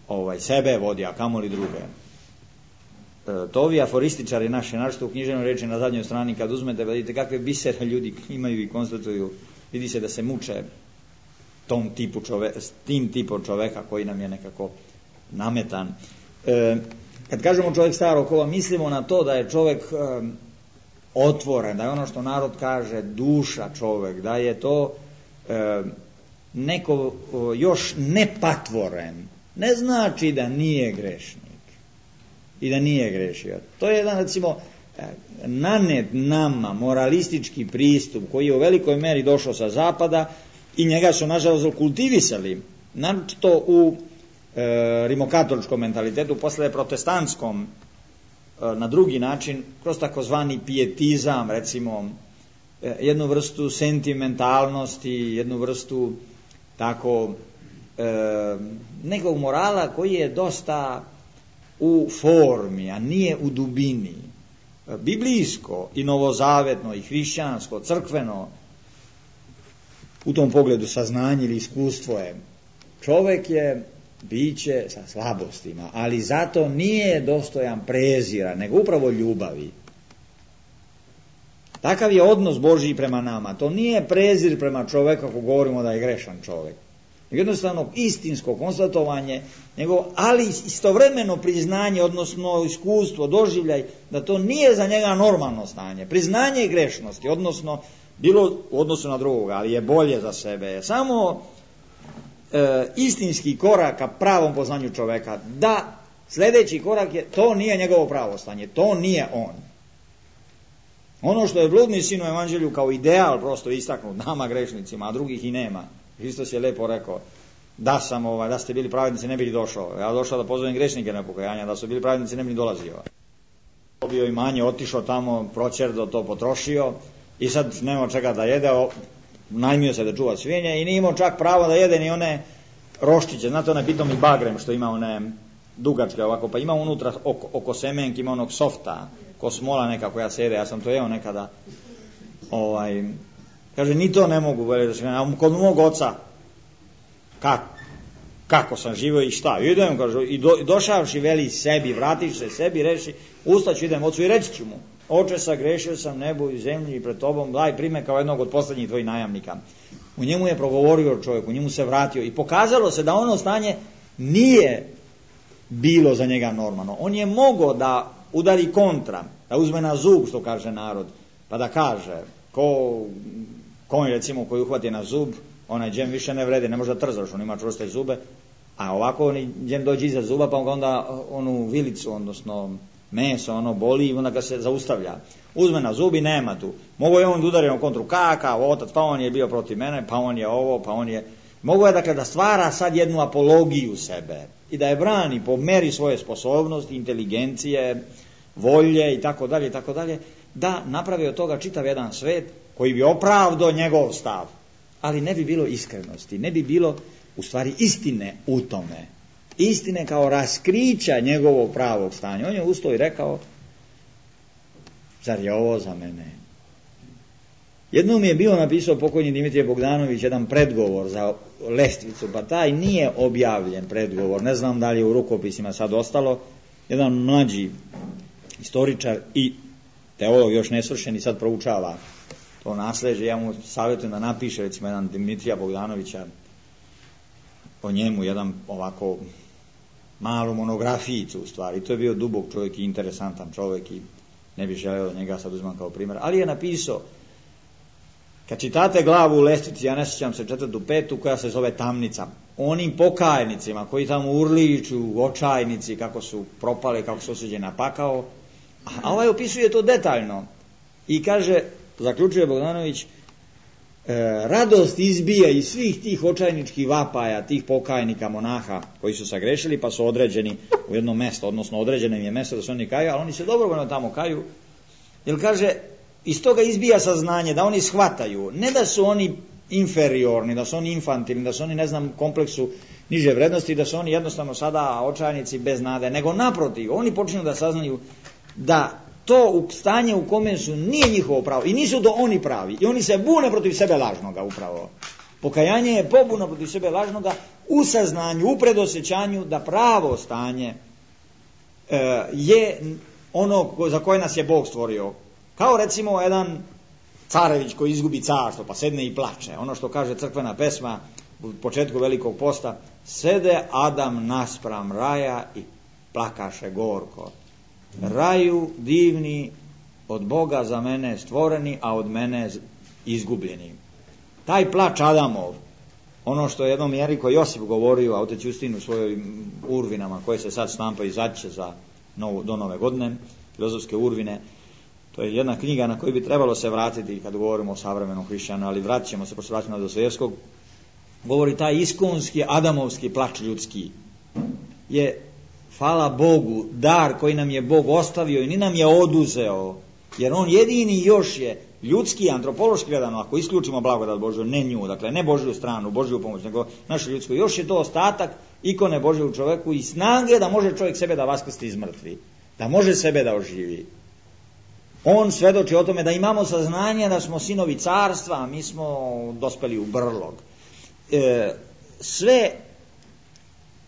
ovaj, sebe vodi, a kamoli druge. E, to ovi aforističari naši, našto u književnoj reči na zadnjoj strani, kad uzmete, vidite kakve bisere ljudi imaju i konstatuju, vidi se da se muče tom tipu čoveka, s tim tipom čoveka koji nam je nekako nametan. E, kad kažemo čovjek starog kova, mislimo na to da je čovjek e, otvoren, da je ono što narod kaže duša čovjek, da je to e, neko o, još nepatvoren. Ne znači da nije grešnik i da nije grešio. To je jedan, recimo, nanet nama moralistički pristup koji je u velikoj meri došao sa zapada i njega su nažalost kultivisali, naročito u e, rimokatoličkom mentalitetu, posle protestantskom e, na drugi način, kroz takozvani pijetizam, recimo e, jednu vrstu sentimentalnosti, jednu vrstu tako e, nekog morala koji je dosta u formi, a nije u dubini. Biblijsko i novozavetno i hrišćansko, crkveno, u tom pogledu saznanje ili iskustvo je. Čovjek je biće sa slabostima, ali zato nije dostojan prezira, nego upravo ljubavi. Takav je odnos Božji prema nama. To nije prezir prema čovjeku ako govorimo da je grešan čovjek. Jednostavno istinsko konstatovanje nego, ali istovremeno priznanje, odnosno iskustvo, doživljaj da to nije za njega normalno stanje, priznanje grešnosti, odnosno bilo u odnosu na drugoga, ali je bolje za sebe, samo e, istinski korak ka pravom poznanju čoveka, da sljedeći korak je, to nije njegovo pravo stanje, to nije on. Ono što je bludni sin u evanđelju kao ideal prosto istaknut nama grešnicima, a drugih i nema. Hristos je lepo rekao, da sam ovaj, da ste bili pravednici ne bili došao. Ja došao da pozovem grešnike na pokajanje, da su bili pravednici ne bili dolazio. Dobio imanje, otišao tamo, proćerdo to potrošio i sad nema čega da jede, najmio se da čuva svinje i nije imao čak pravo da jede ni one roščiće. Znate onaj pitomi bagrem što ima one dugačke ovako, pa ima unutra oko, oko semenki, ima onog softa, ko smola neka koja se jede, ja sam to jeo nekada. Ovaj, kaže, ni to ne mogu, a kod mog oca, kako, kako sam živio i šta, idem, kaže, i, do, i došavši, veli sebi, vratiš se sebi, reši, ustaću, idem ocu i reći ću mu, oče, sagrešio sam nebu i zemlji i pred tobom, daj prime kao jednog od posljednjih tvojih najamnika. U njemu je progovorio čovjek, u njemu se vratio i pokazalo se da ono stanje nije bilo za njega normalno. On je mogao da udari kontra, da uzme na zub, što kaže narod, pa da kaže, ko konj recimo koji uhvati na zub, onaj džem više ne vrede, ne može da trzaš, on ima čvrste zube, a ovako on džem dođe iza zuba, pa onda onu vilicu, odnosno meso, ono boli i onda ga se zaustavlja. Uzme na zubi, nema tu. Mogo je on da udari na kontru, kakav otac, pa on je bio protiv mene, pa on je ovo, pa on je... Mogo je dakle da stvara sad jednu apologiju sebe i da je brani po meri svoje sposobnosti, inteligencije, volje i tako dalje i tako dalje, da napravi od toga čitav jedan svet koji bi opravdao njegov stav, ali ne bi bilo iskrenosti, ne bi bilo u stvari istine u tome, istine kao raskrića njegovog pravog stanja. On je ustao i rekao, zar je ovo za mene? Jednom je bio napisao pokojni Dimitrije Bogdanović jedan predgovor za lestvicu, pa taj nije objavljen predgovor, ne znam da li je u rukopisima sad ostalo, jedan mlađi historičar i teolog još nesvršen i sad proučava to nasleđe, ja mu savjetujem da napiše recimo jedan Dimitrija Bogdanovića o njemu, jedan ovako malu monografijicu u stvari. To je bio dubok čovjek i interesantan čovjek i ne bih želeo da njega sad uzmem kao primjer, ali je napisao, kad čitate glavu u lestvici, ja ne sjećam se četvrtu, petu, koja se zove Tamnica, onim pokajnicima koji tamo urliču, očajnici, kako su propale, kako su osuđeni na pakao, a ovaj opisuje to detaljno i kaže, zaključuje Bogdanović, e, radost izbija iz svih tih očajničkih vapaja, tih pokajnika, monaha koji su sagrešili pa su određeni u jedno mesto, odnosno određeno im je mesto da se oni kaju, ali oni se dobrovoljno tamo kaju, jer kaže, iz toga izbija saznanje da oni shvataju, ne da su oni inferiorni, da su oni infantilni, da su oni, ne znam, kompleksu niže vrednosti, da su oni jednostavno sada očajnici bez nade, nego naprotiv, oni počinju da saznaju da to u stanje u kome su nije njihovo pravo i nisu do oni pravi i oni se bune protiv sebe lažnoga upravo. Pokajanje je pobuna protiv sebe lažnoga u saznanju, u predosjećanju da pravo stanje e, je ono za koje nas je Bog stvorio. Kao recimo jedan carević koji izgubi carstvo pa sedne i plače. Ono što kaže crkvena pesma u početku Velikog posta: sede Adam naspram raja i plakaše gorko. Raju divni, od Boga za mene stvoreni, a od mene izgubljeni. Taj plač Adamov, ono što je jednom Jeriko Josip govorio, a otec Justin u svojim urvinama koje se sad štampaju, izaće za novu, do nove godine, filozofske urvine, to je jedna knjiga na koju bi trebalo se vratiti kad govorimo o savremenom hrišćanu, ali vratit ćemo se, pošto vratimo na Dostojevskog. Govori taj iskonski Adamovski plač ljudski je, hvala Bogu, dar koji nam je Bog ostavio i ni nam je oduzeo, jer on jedini još je ljudski, antropološki gledano, ako isključimo blagodat Božju, ne nju, dakle ne Božju stranu, Božju pomoć, nego naše ljudsko, još je to ostatak ikone Božje u čoveku i snage da može čovjek sebe da vaskrsti iz mrtvi, da može sebe da oživi. On svedoči o tome da imamo saznanje da smo sinovi carstva, a mi smo dospeli u brlog. E, sve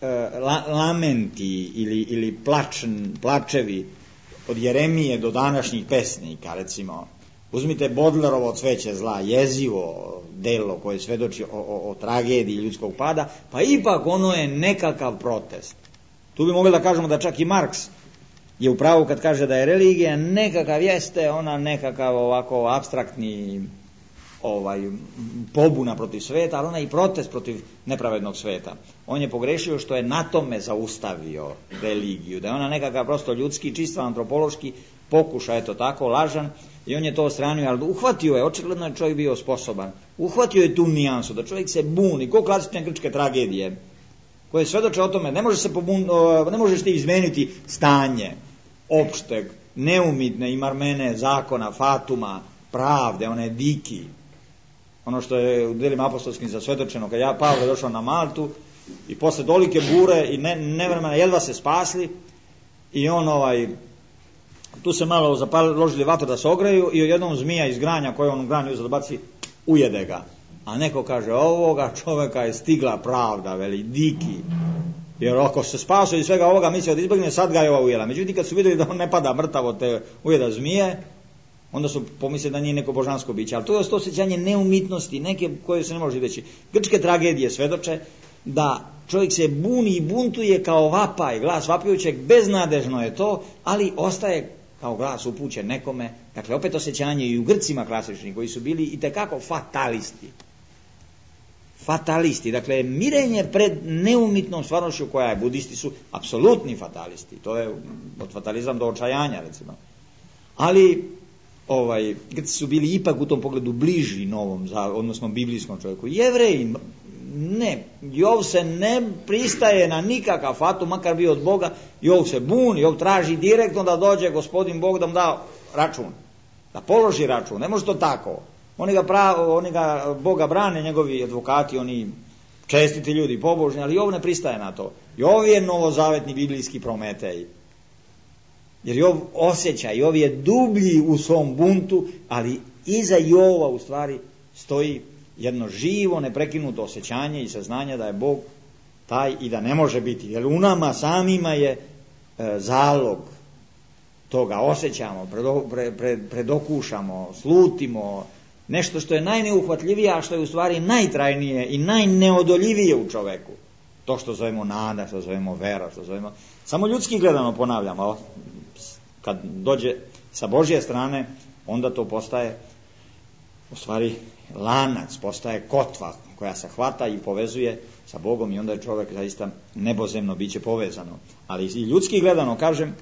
e, la, lamenti ili, ili plač, plačevi od Jeremije do današnjih pesnika, recimo, uzmite Bodlerovo Cveće zla, jezivo delo koje svedoči o, o, o tragediji ljudskog pada, pa ipak ono je nekakav protest. Tu bi mogli da kažemo da čak i Marks je u pravu kad kaže da je religija nekakav, jeste ona nekakav ovako apstraktni ovaj, pobuna protiv sveta, ali ona i protest protiv nepravednog sveta. On je pogrešio što je na tome zaustavio religiju, da je ona nekakav prosto ljudski, čisto antropološki pokušaj, eto tako, lažan, i on je to odstranio, ali uhvatio je, očigledno je čovjek bio sposoban, uhvatio je tu nijansu, da čovjek se buni, ko klasične grčke tragedije, koje svedoče o tome, ne, može se pobun, ne možeš ti izmeniti stanje opšteg, neumitne i marmene zakona, fatuma, pravde, one diki, ono što je u djelima apostolskim zasvedočeno, kad ja Pavle došao na Maltu i posle dolike bure i ne, nevremena jedva se spasli i on ovaj, tu se malo zapaložili vatru da se ogreju i jednom zmija iz granja koje on u granju uzeo da baci, ujede ga. A neko kaže, ovoga čoveka je stigla pravda, veli, diki. Jer ako se spasao iz svega ovoga, mislio da izbjegne, sad ga je ova ujela. Međutim, kad su vidjeli da on ne pada mrtav od te ujeda zmije, onda su pomislili da nije neko božansko biće. Ali to je to osjećanje neumitnosti, neke koje se ne može reći. Grčke tragedije svedoče da čovjek se buni i buntuje kao vapaj, glas vapajućeg, beznadežno je to, ali ostaje kao glas upućen nekome. Dakle, opet osjećanje i u Grcima klasični, koji su bili itekako fatalisti. Fatalisti, dakle, mirenje pred neumitnom stvarnošću koja je, budisti su apsolutni fatalisti, to je od fatalizam do očajanja, recimo. Ali, ovaj, Grci su bili ipak u tom pogledu bliži novom, odnosno biblijskom čovjeku. Jevreji, ne, Jov se ne pristaje na nikakav fatum, makar bio od Boga, Jov se buni, Jov traži direktno da dođe gospodin Bog da mu da račun, da položi račun, ne može to tako. Oni ga, pravo, oni ga Boga brane, njegovi advokati, oni čestiti ljudi, pobožni, ali Jov ne pristaje na to. Jov je novozavetni biblijski Prometej. Jer Jov osjeća, Jov je dublji u svom buntu, ali iza Jova u stvari stoji jedno živo, neprekinuto osjećanje i saznanje da je Bog taj i da ne može biti. Jer u nama samima je e, zalog toga, osjećamo, predo, pre, pre, predokušamo, slutimo, nešto što je najneuhvatljivije, a što je u stvari najtrajnije i najneodoljivije u čoveku. To što zovemo nada, što zovemo vera, što zovemo... Samo ljudski gledano ponavljamo, kad dođe sa Božje strane, onda to postaje u stvari lanac, postaje kotva koja se hvata i povezuje sa Bogom i onda je čovjek zaista nebozemno biće povezano. Ali i ljudski gledano, kažem,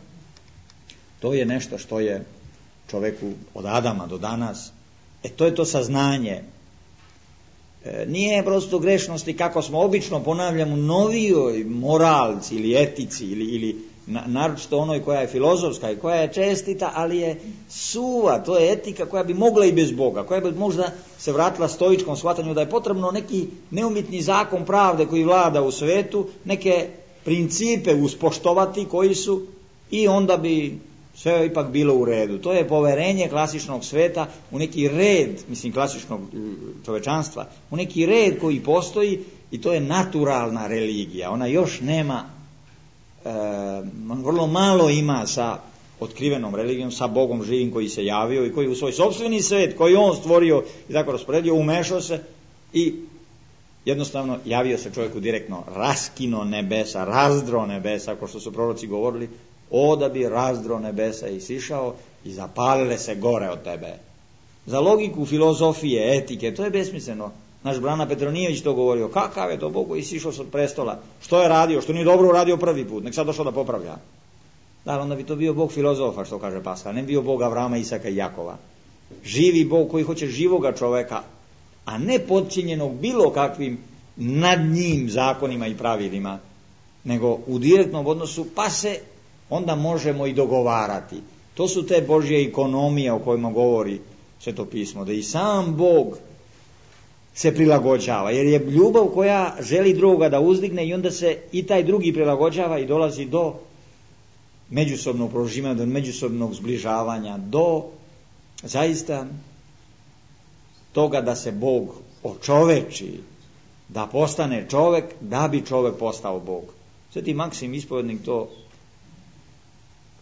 to je nešto što je čovjeku od Adama do danas. E to je to saznanje. E, nije prosto grešnosti kako smo obično ponavljamo novijoj moralci ili etici ili, ili naročito onoj koja je filozofska i koja je čestita, ali je suva, to je etika koja bi mogla i bez Boga, koja bi možda se vratila stoičkom shvatanju da je potrebno neki neumitni zakon pravde koji vlada u svetu, neke principe uspoštovati koji su, i onda bi sve ipak bilo u redu. To je poverenje klasičnog sveta u neki red, mislim klasičnog čovečanstva, u neki red koji postoji, i to je naturalna religija. Ona još nema, e, vrlo malo ima sa otkrivenom religijom, sa Bogom živim koji se javio i koji u svoj sopstveni svet, koji on stvorio i tako rasporedio, umešao se i jednostavno javio se čovjeku direktno, raskino nebesa, razdro nebesa, ako što su proroci govorili, o da bi razdro nebesa i sišao i zapalile se gore od tebe. Za logiku filozofije, etike, to je besmisleno. Naš Brana Petronijević to govorio, kakav je to Bog koji sišao sa prestola, što je radio, što nije dobro uradio prvi put, nek sad došao da popravlja. Da, onda bi to bio Bog filozofa, što kaže Paskal, ne bio Bog Avrama, Isaka i Jakova. Živi Bog koji hoće živoga čoveka, a ne podčinjenog bilo kakvim nad njim zakonima i pravilima, nego u direktnom odnosu, pa se onda možemo i dogovarati. To su te Božje ekonomije o kojima govori Sveto pismo, da i sam Bog se prilagođava, jer je ljubav koja želi drugoga da uzdigne i onda se i taj drugi prilagođava i dolazi do međusobnog proživanja, do međusobnog zbližavanja, do zaista toga da se Bog očoveči, da postane čovek, da bi čovek postao Bog. Sveti Maksim ispovednik to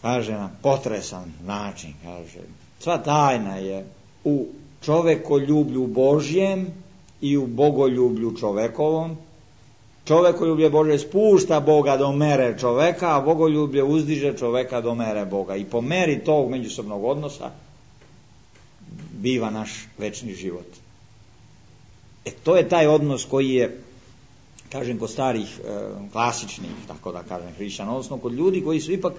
kaže na potresan način, kaže, sva tajna je u čovekoljublju Božjem i u bogoljublju čovekovom. Čovekoljublje Božje spušta Boga do mere čoveka, a bogoljublje uzdiže čoveka do mere Boga. I po meri tog međusobnog odnosa biva naš večni život. E to je taj odnos koji je, kažem, kod starih e, klasičnih, tako da kažem, hrišćana, odnosno kod ljudi koji su ipak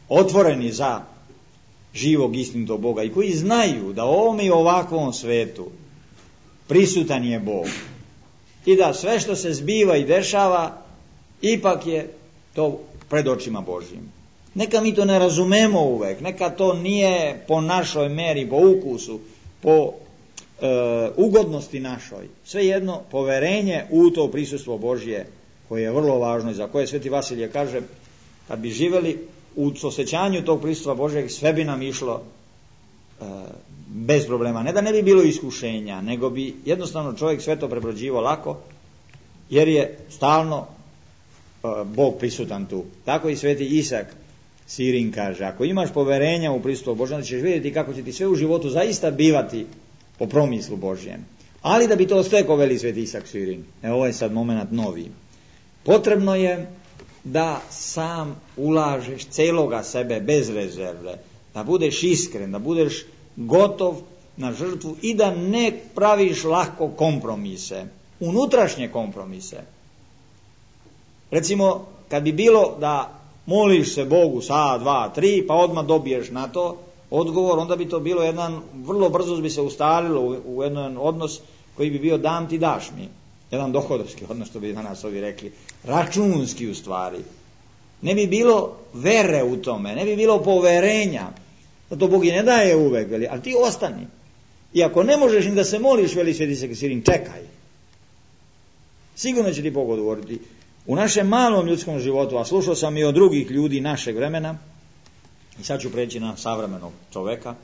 otvoreni za živog istinitog Boga i koji znaju da u ovome i ovakvom svetu prisutan je Bog i da sve što se zbiva i dešava ipak je to pred očima Božjim. Neka mi to ne razumemo uvek, neka to nije po našoj meri, po ukusu, po e, ugodnosti našoj. Svejedno, poverenje u to prisustvo Božje, koje je vrlo važno i za koje Sveti Vasilije kaže, kad bi živeli u osjećanju tog prisustva Božjeg, sve bi nam išlo e, bez problema. Ne da ne bi bilo iskušenja, nego bi jednostavno čovjek sve to prebrođivao lako, jer je stalno e, Bog prisutan tu. Tako i Sveti Isak Sirin kaže, ako imaš poverenja u prisustvo Božje, onda ćeš vidjeti kako će ti sve u životu zaista bivati po promislu Božjem. Ali da bi to stekao, veli Sveti Isak Sirin, e, ovo je sad moment novi, potrebno je da sam ulažeš celoga sebe bez rezerve, da budeš iskren, da budeš gotov na žrtvu i da ne praviš lako kompromise, unutrašnje kompromise. Recimo, kad bi bilo da moliš se Bogu sa, dva, tri, pa odmah dobiješ na to odgovor, onda bi to bilo jedan, vrlo brzo bi se ustalilo u, u jedan odnos koji bi bio dam ti daš mi. Jedan dohodovski odnos, što bi danas ovi rekli, računski u stvari. Ne bi bilo vere u tome, ne bi bilo poverenja, da to Bog i ne daje uvek, veli, ali ti ostani. I ako ne možeš ni da se moliš, veli Sveti Isak Sirin, čekaj. Sigurno će ti Bog odgovoriti. U našem malom ljudskom životu, a slušao sam i od drugih ljudi našeg vremena, i sad ću preći na savremenog čoveka,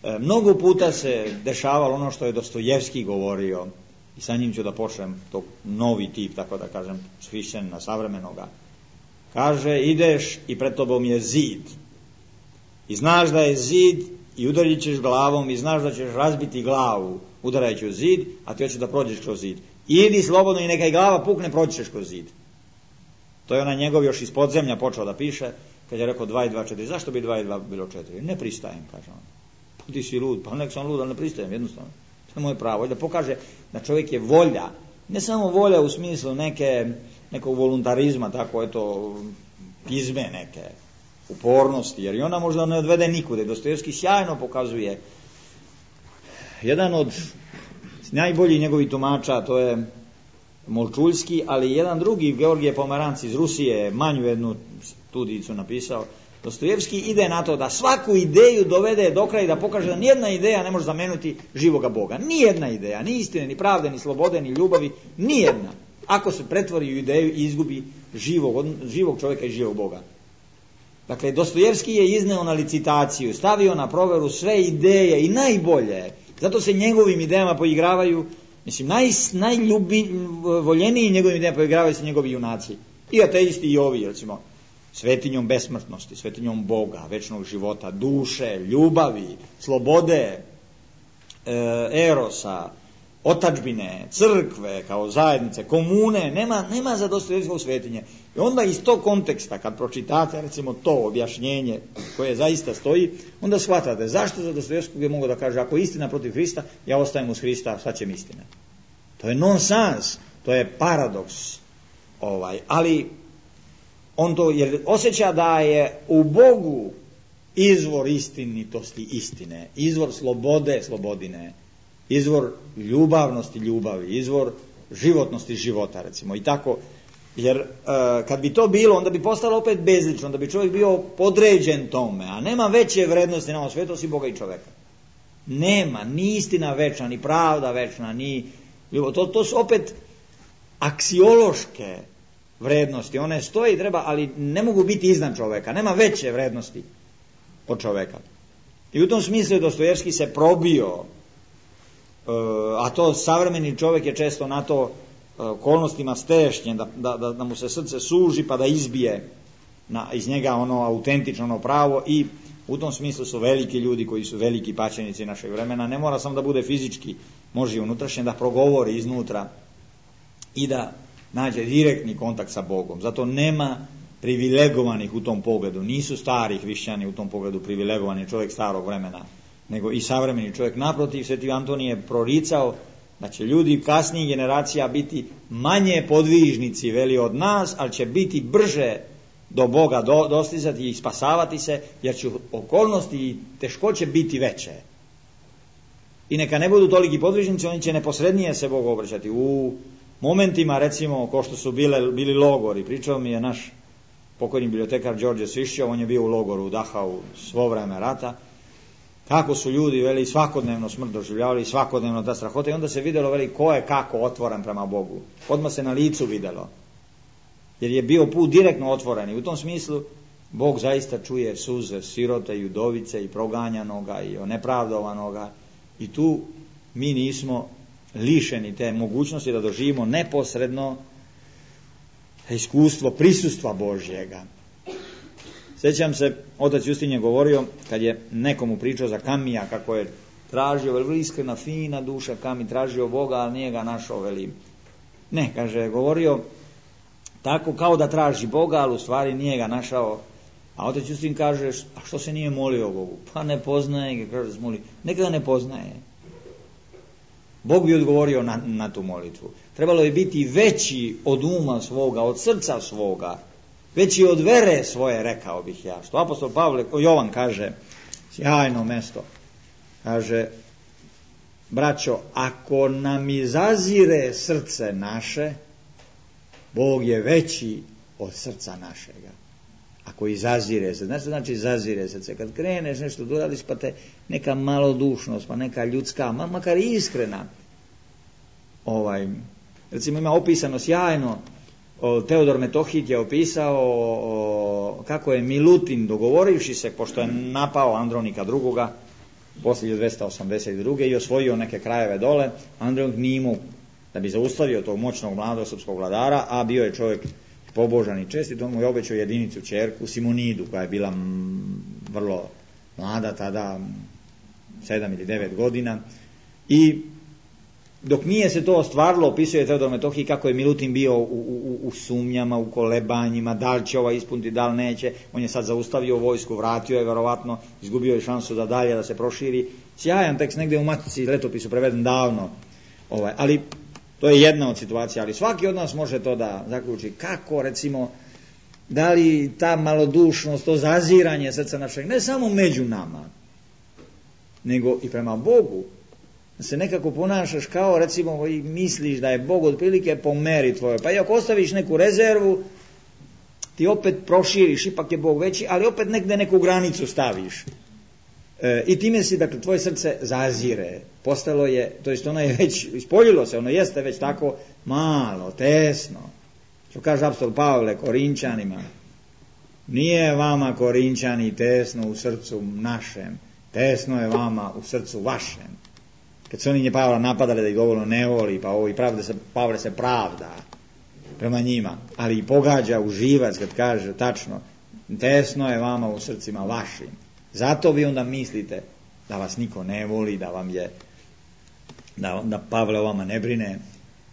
e, mnogo puta se dešavalo ono što je Dostojevski govorio, i sa njim ću da počnem tog novi tip, tako da kažem, svišćen na savremenoga. Kaže, ideš i pred tobom je zid. I znaš da je zid i udarit ćeš glavom i znaš da ćeš razbiti glavu udarajući u zid, a ti hoćeš da prođeš kroz zid. Idi slobodno i neka i glava pukne, proći ćeš kroz zid. To je ona njegov još iz podzemlja počeo da piše, kad je rekao dva i dva četiri. Zašto bi dva i dva bilo četiri? Ne pristajem, kaže on. Pa ti si lud, pa nek sam lud, ali ne pristajem, jednostavno. To je moje pravo. Da pokaže da čovjek je volja, ne samo volja u smislu neke, nekog voluntarizma, tako eto, pizme neke, upornosti, jer i ona možda ne odvede nikude. Dostojevski sjajno pokazuje. Jedan od najboljih njegovih tumača, to je Molčuljski, ali jedan drugi, Georgije Pomeranc iz Rusije, manju jednu studijicu napisao, Dostojevski ide na to da svaku ideju dovede do kraja i da pokaže da nijedna ideja ne može zameniti živoga Boga. Nijedna ideja, ni istine, ni pravde, ni slobode, ni ljubavi, nijedna. Ako se pretvori u ideju i izgubi živog, živog čovjeka i živog Boga. Dakle, Dostojevski je izneo na licitaciju, stavio na proveru sve ideje i najbolje. Zato se njegovim idejama poigravaju, mislim, naj, najvoljeniji njegovim idejama poigravaju se njegovi junaci. I ateisti i ovi, recimo, svetinjom besmrtnosti, svetinjom Boga, večnog života, duše, ljubavi, slobode, e, erosa, otadžbine, crkve kao zajednice, komune, nema, nema za Dostojevskog svetinje. I onda iz tog konteksta, kad pročitate recimo to objašnjenje koje zaista stoji, onda shvatate zašto za Dostojevskog je mogo da kaže, ako je istina protiv Hrista, ja ostajem uz Hrista, šta će mi istina? To je nonsens, to je paradoks. Ovaj, ali on to, jer osjeća da je u Bogu izvor istinitosti istine, izvor slobode slobodine, izvor ljubavnosti ljubavi, izvor životnosti života, recimo, i tako. Jer e, kad bi to bilo, onda bi postalo opet bezlično, onda bi čovjek bio podređen tome, a nema veće vrednosti na ovom svijetu osim Boga i čovjeka. Nema, ni istina večna, ni pravda večna, ni ljubav. To, to su opet aksiološke vrednosti, one stoje i treba, ali ne mogu biti iznad čovjeka, nema veće vrednosti od čovjeka. I u tom smislu je Dostojevski se probio, a to savremeni čovjek je često na to okolnostima stešnjen, da, da, da mu se srce suži pa da izbije na, iz njega ono autentično, ono pravo, i u tom smislu su veliki ljudi koji su veliki pačenici našeg vremena. Ne mora samo da bude fizički, može i unutrašnje, da progovori iznutra i da nađe direktni kontakt sa Bogom. Zato nema privilegovanih u tom pogledu, nisu stari hrišćani u tom pogledu privilegovani, čovjek starog vremena, nego i savremeni čovjek. Naprotiv, Sveti Antonij je proricao da će ljudi kasnijih generacija biti manje podvižnici veli od nas, ali će biti brže do Boga do, dostizati i spasavati se, jer će okolnosti i teškoće biti veće. I neka ne budu toliki podvižnici, oni će neposrednije se Bogu obraćati. U momentima, recimo, ko što su bile, bili logori, pričao mi je naš pokojni bibliotekar Đorđe Svišćov, on je bio u logoru u Dachau svo vreme rata, kako su ljudi, veli, svakodnevno smrt doživljavali, svakodnevno ta strahota, i onda se vidjelo, veli, ko je kako otvoren prema Bogu. Odmah se na licu vidjelo, jer je bio put direktno otvoren, i u tom smislu Bog zaista čuje suze sirote i udovice i proganjanoga i nepravdovanoga, i tu mi nismo lišeni te mogućnosti da doživimo neposredno iskustvo prisustva Božjega. Sjećam se, otac Justin je govorio, kad je nekomu pričao za Kamija, kako je tražio, veli, iskrena, fina duša Kami, tražio Boga, ali nije ga našao, veli. Ne, kaže, govorio tako kao da traži Boga, ali u stvari nije ga našao. A otac Justin kaže, a što se nije molio Bogu? Pa ne poznaje ga, kaže, smoli. Neka ga ne poznaje. Bog bi odgovorio na, na tu molitvu. Trebalo je biti veći od uma svoga, od srca svoga, veći od vere svoje, rekao bih ja. Što apostol Pavle, Jovan kaže, sjajno mesto, kaže, braćo, ako nam izazire srce naše, Bog je veći od srca našega. Ako izazire se, znači, znači izazire se, kad kreneš nešto da uradiš, pa te neka malodušnost, pa neka ljudska, ma, makar iskrena, ovaj, recimo ima opisano sjajno, o, Teodor Metohit je opisao o, kako je Milutin, dogovorivši se, pošto je napao Andronika drugoga, poslije dvesta osamdeset druge i osvojio neke krajeve dole, Andronik nije imao da bi zaustavio tog moćnog mladog srpskog vladara, a bio je čovjek pobožan i čestit, on mu je obećao jedinicu ćerku, Simonidu, koja je bila m, vrlo mlada tada, sedam ili devet godina, i dok nije se to ostvarilo, opisuje Teodor Metohij kako je Milutin bio u, u, u sumnjama, u kolebanjima, da li će ova ispuniti, da li neće. On je sad zaustavio vojsku, vratio je verovatno, izgubio je šansu da dalje da se proširi. Sjajan tekst, negdje u Matici letopisu preveden davno, ovaj, ali to je jedna od situacija, ali svaki od nas može to da zaključi. Kako, recimo, da li ta malodušnost, to zaziranje srca našeg, ne samo među nama, nego i prema Bogu, da se nekako ponašaš kao, recimo, i misliš da je Bog otprilike po meri tvojoj. Pa i ako ostaviš neku rezervu, ti opet proširiš, ipak je Bog veći, ali opet negde neku granicu staviš. E, I time si, dakle, tvoje srce zazire, postalo je, to jest ono je već, ispoljilo se, ono jeste već tako malo, tesno. Što kaže apostol Pavle Korinčanima, nije vama Korinčani tesno u srcu našem, tesno je vama u srcu vašem. Kad su oni nje Pavla napadali da ih dovoljno ne voli, pa ovo i pravda se, Pavle se pravda prema njima, ali i pogađa u živac kad kaže tačno, tesno je vama u srcima vašim. Zato vi onda mislite da vas niko ne voli, da vam je, da, da Pavle o vama ne brine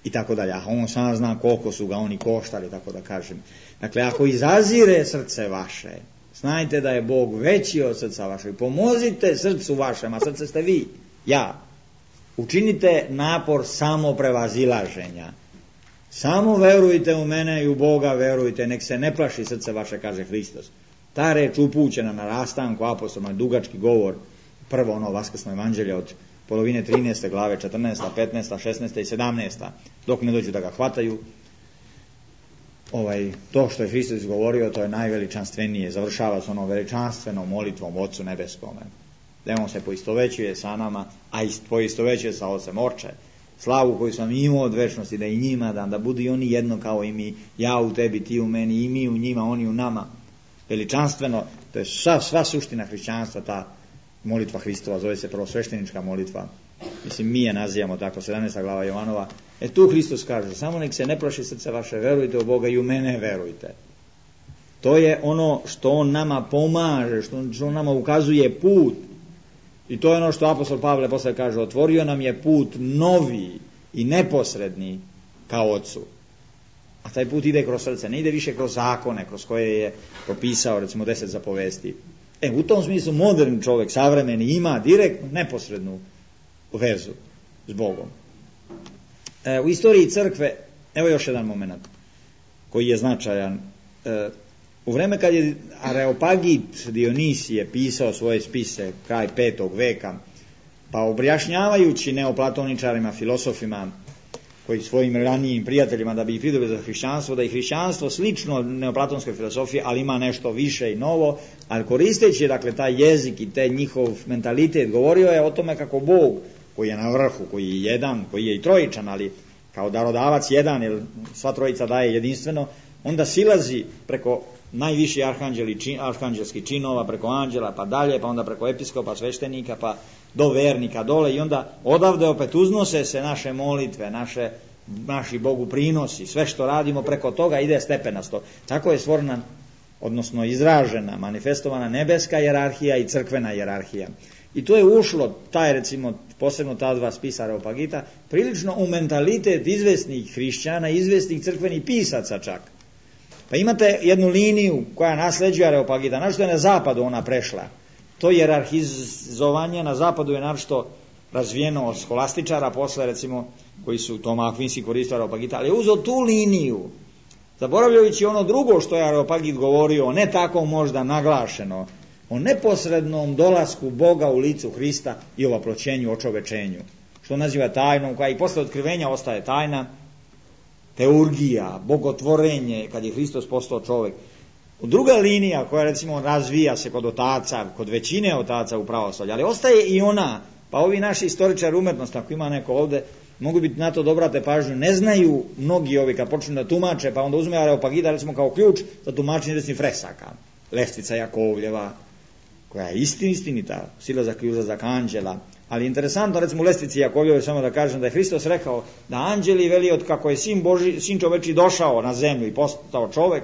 i tako dalje. A on sam zna koliko su ga oni koštali, tako da kažem. Dakle, ako izazire srce vaše, znajte da je Bog veći od srca vašeg. Pomozite srcu vašem, a srce ste vi, ja. Učinite napor samo prevazilaženja. Samo verujte u mene i u Boga verujte, nek se ne plaši srce vaše, kaže Hristos. Ta reč upućena na rastanku apostolima, dugački govor, prvo ono vaskrsno evanđelje od polovine trinaeste glave, četrnaesta, petnaesta, šesnaesta i sedamnaesta, dok ne dođu da ga hvataju. Ovaj, to što je Hristos izgovorio, to je najveličanstvenije, završava se ono veličanstvenom molitvom Otcu nebeskome. Da on se poistovećuje sa nama, a poistovećuje sa Ocem Oče. Slavu koju sam imao od večnosti, da i njima dam, da budu i oni jedno kao i mi, ja u tebi, ti u meni, i mi u njima, oni u nama. Veličanstveno, to je sva, sva suština hrišćanstva, ta molitva Hristova, zove se prvosveštenička molitva. Mislim, mi je nazivamo tako, sedamnaesta glava Jovanova. E tu Hristos kaže, samo nek se ne plaši srce vaše, verujte u Boga i u mene verujte. To je ono što on nama pomaže, što on, što on nama ukazuje put. I to je ono što apostol Pavle posle kaže, otvorio nam je put novi i neposredni kao Otcu. A taj put ide kroz srce, ne ide više kroz zakone, kroz koje je propisao, recimo, deset zapovesti. E, u tom smislu moderni čovjek, savremeni, ima direktnu, neposrednu vezu s Bogom. E, u istoriji crkve, evo još jedan moment koji je značajan. E, u vreme kad je Areopagit Dionisije pisao svoje spise, kraj petog veka, pa objašnjavajući neoplatoničarima, filosofima, koji svojim ranijim prijateljima da bi ih pridobili za hrišćanstvo, da je hrišćanstvo slično neoplatonskoj filosofiji, ali ima nešto više i novo, ali koristeći, dakle, taj jezik i taj njihov mentalitet, govorio je o tome kako Bog, koji je na vrhu, koji je jedan, koji je i trojičan, ali kao darodavac jedan, jer sva trojica daje jedinstveno, onda silazi preko najviši arhanđeli, čin, arhanđelskih činova, preko anđela, pa dalje, pa onda preko episkopa, sveštenika, pa do vernika dole, i onda odavde opet uznose se naše molitve, naše, naši Bogu prinosi, sve što radimo preko toga ide stepenasto. Tako je stvorena, odnosno izražena, manifestovana nebeska hijerarhija i crkvena hijerarhija. I to je ušlo, taj, recimo, posebno ta dva spisa Areopagita, prilično u mentalitet izvesnih hrišćana, izvesnih crkvenih pisaca čak. Pa imate jednu liniju koja nasljeđuje Areopagita, našto je na zapadu ona prešla. To hijerarhizovanje na zapadu je našto razvijeno od scholastičara, posle, recimo, koji su Toma Akvinski koristili Areopagita, ali je uzeo tu liniju, zaboravljajući ono drugo što je Areopagit govorio, ne tako možda naglašeno, o neposrednom dolasku Boga u licu Hrista i o vaploćenju, očovečenju, što naziva tajnom, koja i posle otkrivenja ostaje tajna, teurgija, bogotvorenje, kad je Hristos postao čovjek. Druga linija koja, recimo, razvija se kod otaca, kod većine otaca u pravoslavlju, ali ostaje i ona, pa ovi naši istoričari umetnosti, ako ima neko ovde, mogu biti na to da obrate pažnju, ne znaju mnogi ovi kad počnu da tumače, pa onda uzme Areopagita, recimo, kao ključ za tumačenje recimo fresaka, lestvica Jakovljeva, koja je istin, istinita, silazak i uzlazak anđela. Ali interesantno, recimo, u lestvici Jakovljeve, samo da kažem da je Hristos rekao da anđeli veli od kako je sin, Boži, sin čoveči došao na zemlju i postao čovek,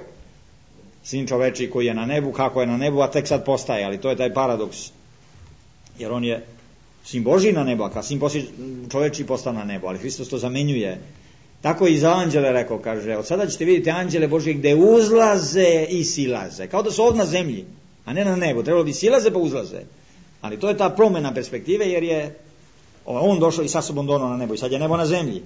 sin čoveči koji je na nebu, kako je na nebu, a tek sad postaje, ali to je taj paradoks. Jer on je sin Boži na nebu, a kad sin čoveči postao na nebu, ali Hristos to zamenjuje. Tako i za anđele rekao, kaže, od sada ćete vidjeti anđele Božje gde uzlaze i silaze, kao da su ovdje na zemlji, a ne na nebu, trebalo bi silaze pa uzlaze. Ali to je ta promjena perspektive, jer je on došao i sa sobom donao na nebo i sad je nebo na zemlji.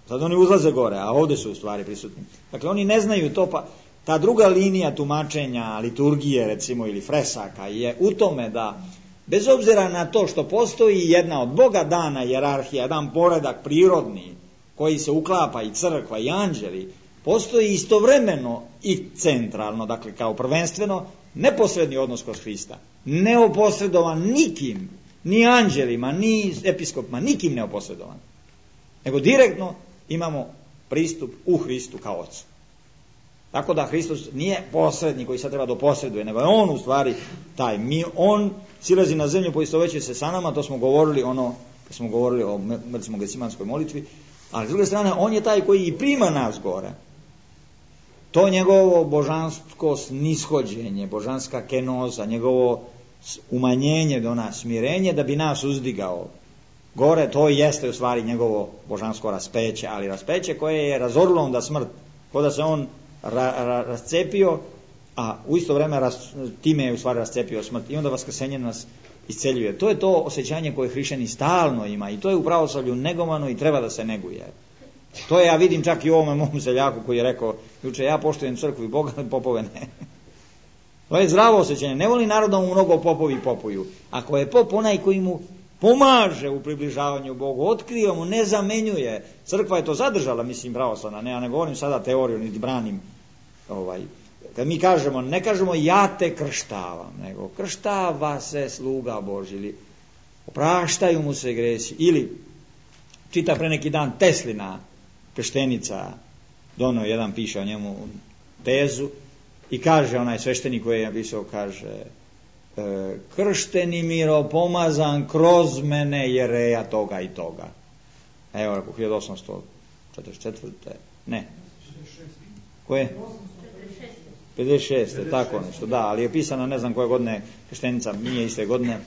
Sad oni uzlaze gore, a ovdje su u stvari prisutni. Dakle, oni ne znaju to, pa ta druga linija tumačenja liturgije, recimo, ili fresaka je u tome da, bez obzira na to što postoji jedna od Boga dana hijerarhija, jedan poredak prirodni, koji se uklapa i crkva i anđeli, postoji istovremeno i centralno, dakle kao prvenstveno, neposredni odnos kroz Hrista, neoposredovan nikim, ni anđelima, ni episkopima, nikim neoposredovan, nego direktno imamo pristup u Hristu kao Ocu. Tako da Hristos nije posrednik koji sad treba da posreduje, nego je on u stvari taj, mi, on silazi na zemlju, poistovećuje se sa nama, to smo govorili ono, kad smo govorili o recimo Gecimanskoj molitvi, ali s druge strane on je taj koji i prima nas gore. To njegovo božansko snishođenje, božanska kenoza, njegovo umanjenje do nas, smirenje da bi nas uzdigao gore, to jeste u stvari njegovo božansko raspeće, ali raspeće koje je razorilo onda smrt, kao da se on ra, ra, rascepio, a u isto vreme ras, time je u stvari rascepio smrt i onda vaskrsenje nas isceljuje. To je to osjećanje koje hrišćani stalno ima i to je u pravoslavlju negovano i treba da se neguje. To je, ja vidim čak i u ovome mom seljaku koji je rekao juče, ja poštujem crkvu i Boga, popove ne. To je zdravo osjećanje. Ne voli narod da mu mnogo popovi popuju. Ako je pop onaj koji mu pomaže u približavanju Bogu, otkriva mu, ne zamenjuje. Crkva je to zadržala, mislim, pravoslavna. Ne, ja ne govorim sada teoriju, niti branim. Ovaj. Kad mi kažemo, ne kažemo ja te krštavam, nego krštava se sluga Božji, ili opraštaju mu se gresi, ili čita pre neki dan Teslina krštenica, dono jedan piše o njemu tezu i kaže, onaj sveštenik koji je napisao, kaže e, kršteni miropomazan kroz mene jereja toga i toga. Evo, rekao, hiljadu osamsto četrdeset četvrte ne. Koje? pedeset šeste tako nešto, da, ali je pisana ne znam koje godine krštenica, nije iste godine.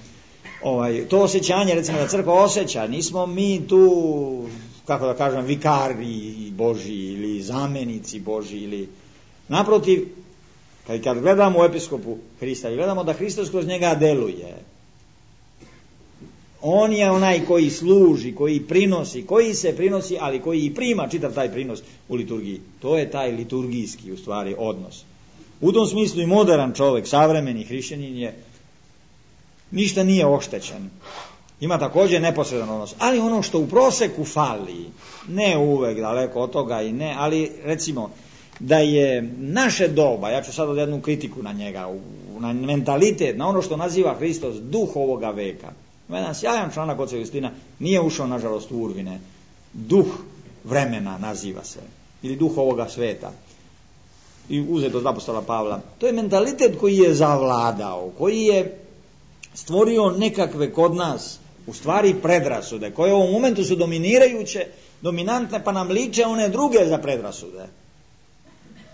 Ovaj, to osjećanje, recimo, da crkva osjeća, nismo mi tu, kako da kažem, vikari Božji ili zamenici Božji, ili naprotiv, kad, kad gledamo u episkopu Hrista i gledamo da Hristos kroz njega deluje, on je onaj koji služi, koji prinosi, koji se prinosi, ali koji i prima čitav taj prinos u liturgiji. To je taj liturgijski, u stvari, odnos. U tom smislu i modern čovjek, savremeni hrišćanin je, ništa nije oštećen. Ima također neposredan odnos. Ali ono što u proseku fali, ne uvek daleko od toga i ne, ali recimo da je naše doba, ja ću sad od jednu kritiku na njega, na mentalitet, na ono što naziva Hristos duh ovoga veka. Jedan sjajan članak oca Justina, nije ušao nažalost u Urvine, duh vremena naziva se, ili duh ovoga sveta. I uzeto od apostola Pavla. To je mentalitet koji je zavladao, koji je stvorio nekakve kod nas, u stvari predrasude, koje u ovom momentu su dominirajuće, dominantne, pa nam liče one druge za predrasude.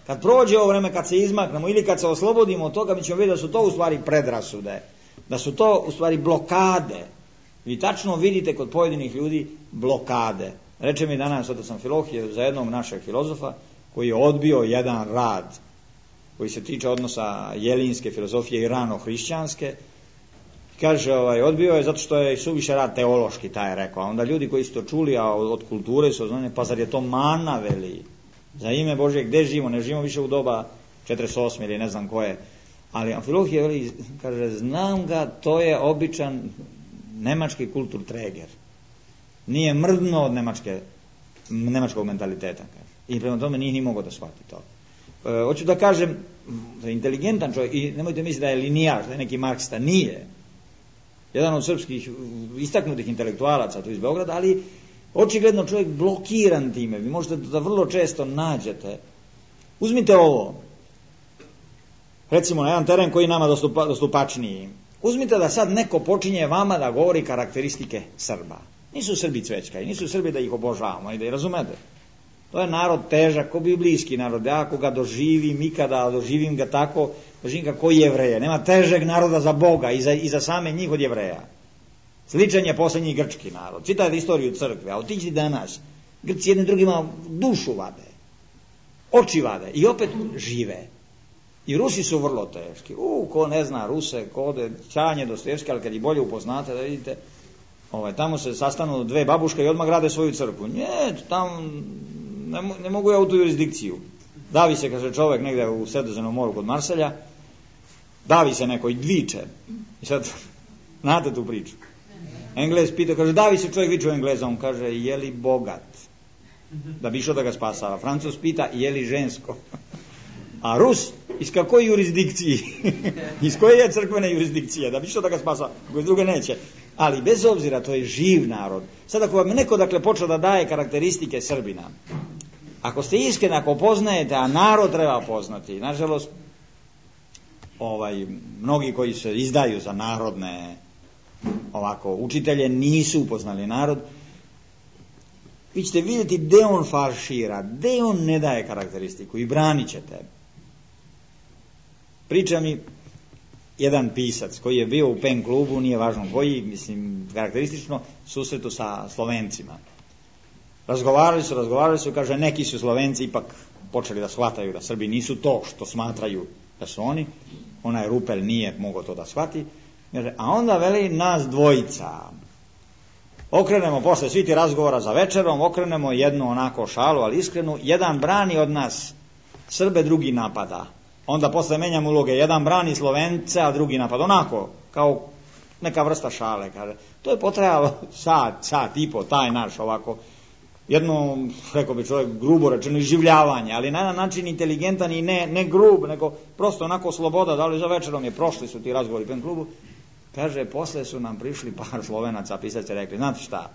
Kad prođe ovo vreme, kad se izmaknemo ili kad se oslobodimo od toga, mi ćemo vidjeti da su to u stvari predrasude, da su to u stvari blokade. Vi tačno vidite kod pojedinih ljudi blokade. Reče mi danas otac Amfilohije za jednog našeg filozofa, koji je odbio jedan rad koji se tiče odnosa jelinske filozofije i rano hrišćanske. Kaže, ovaj, odbio je zato što je suviše rad teološki, taj je rekao. A onda ljudi koji su to čuli, a od, od kulture su oznane, pa zar je to mana, veli? Za ime Božje, gde živimo? Ne živimo više u doba četrdeset osme ili ne znam koje. Ali Amfilohije, veli, kaže, znam ga, to je običan nemački kultur treger. Nije mrdno od nemačke, nemačkog mentaliteta, kaže. I prema tome nije ni mogao da shvati to. E, hoću da kažem, da je inteligentan čovjek, i nemojte misliti da je linijaš, da je neki marksista, nije. Jedan od srpskih istaknutih intelektualaca tu iz Beograda, ali očigledno čovjek blokiran time. Vi možete da vrlo često nađete. Uzmite ovo, recimo na jedan teren koji je nama dostupa, dostupačniji. Uzmite da sad neko počinje vama da govori karakteristike Srba. Nisu Srbi cvećka i nisu Srbi da ih obožavamo i da ih razumete. To je narod težak, ko biblijski narod. Ja ako ga doživim, ikada doživim ga tako, doživim ga ko Jevreje. Nema težeg naroda za Boga i za, i za same njih od Jevreja. Sličan je posljednji grčki narod. Čitajte istoriju crkve, a otiđi danas. Grci jednim drugima dušu vade, oči vade i opet žive. I Rusi su vrlo teški. U, ko ne zna Ruse, ko ode Čanje, Dostojevski, ali kad ih bolje upoznate, da vidite, ovaj, tamo se sastanu dve babuške i odmah grade svoju crkvu. Nje, tamo ne, ne mogu ja u tu jurisdikciju. Davi se, kaže čovjek negdje u Sredozemnom moru kod Marselja, davi se neko i viče. I sad, znate tu priču. Englez pita, kaže, davi se čovjek, viče u Engleza, on kaže, je li bogat? da bi išao da ga spasava. Francuz pita je li žensko? A Rus iz kakoj jurisdikciji? Iz koje je crkvene jurisdikcije? Da bi išao da ga spasava, koji druge neće. Ali bez obzira, to je živ narod. Sad ako vam neko dakle počeo da daje karakteristike Srbina, ako ste iskreni, ako poznajete, a narod treba poznati, nažalost, ovaj, mnogi koji se izdaju za narodne ovako učitelje nisu upoznali narod, vi ćete vidjeti gde on falšira, gde on ne daje karakteristiku i branit ćete. Priča mi jedan pisac koji je bio u pen klubu, nije važno koji, mislim, karakteristično, susretu sa Slovencima. Razgovarali su, razgovarali su, kaže, neki su Slovenci ipak počeli da shvataju da Srbi nisu to što smatraju da su oni, onaj Rupel nije mogao to da shvati, a onda veli nas dvojica. Okrenemo posle svi ti razgovora za večerom, okrenemo jednu onako šalu, ali iskrenu, jedan brani od nas Srbe, drugi napada. Onda posle menjamo uloge, jedan brani Slovence, a drugi napad. Onako, kao neka vrsta šale. Kaže. To je potrajalo sat, sat i po, taj naš ovako, jedno, rekao bi čovjek, grubo rečeno, iživljavanje, ali na jedan način inteligentan i ne, ne grub, nego prosto onako sloboda, da li za večerom je, prošli su ti razgovori u pen klubu. Kaže, posle su nam prišli par Slovenaca, pisac je rekli, znate šta,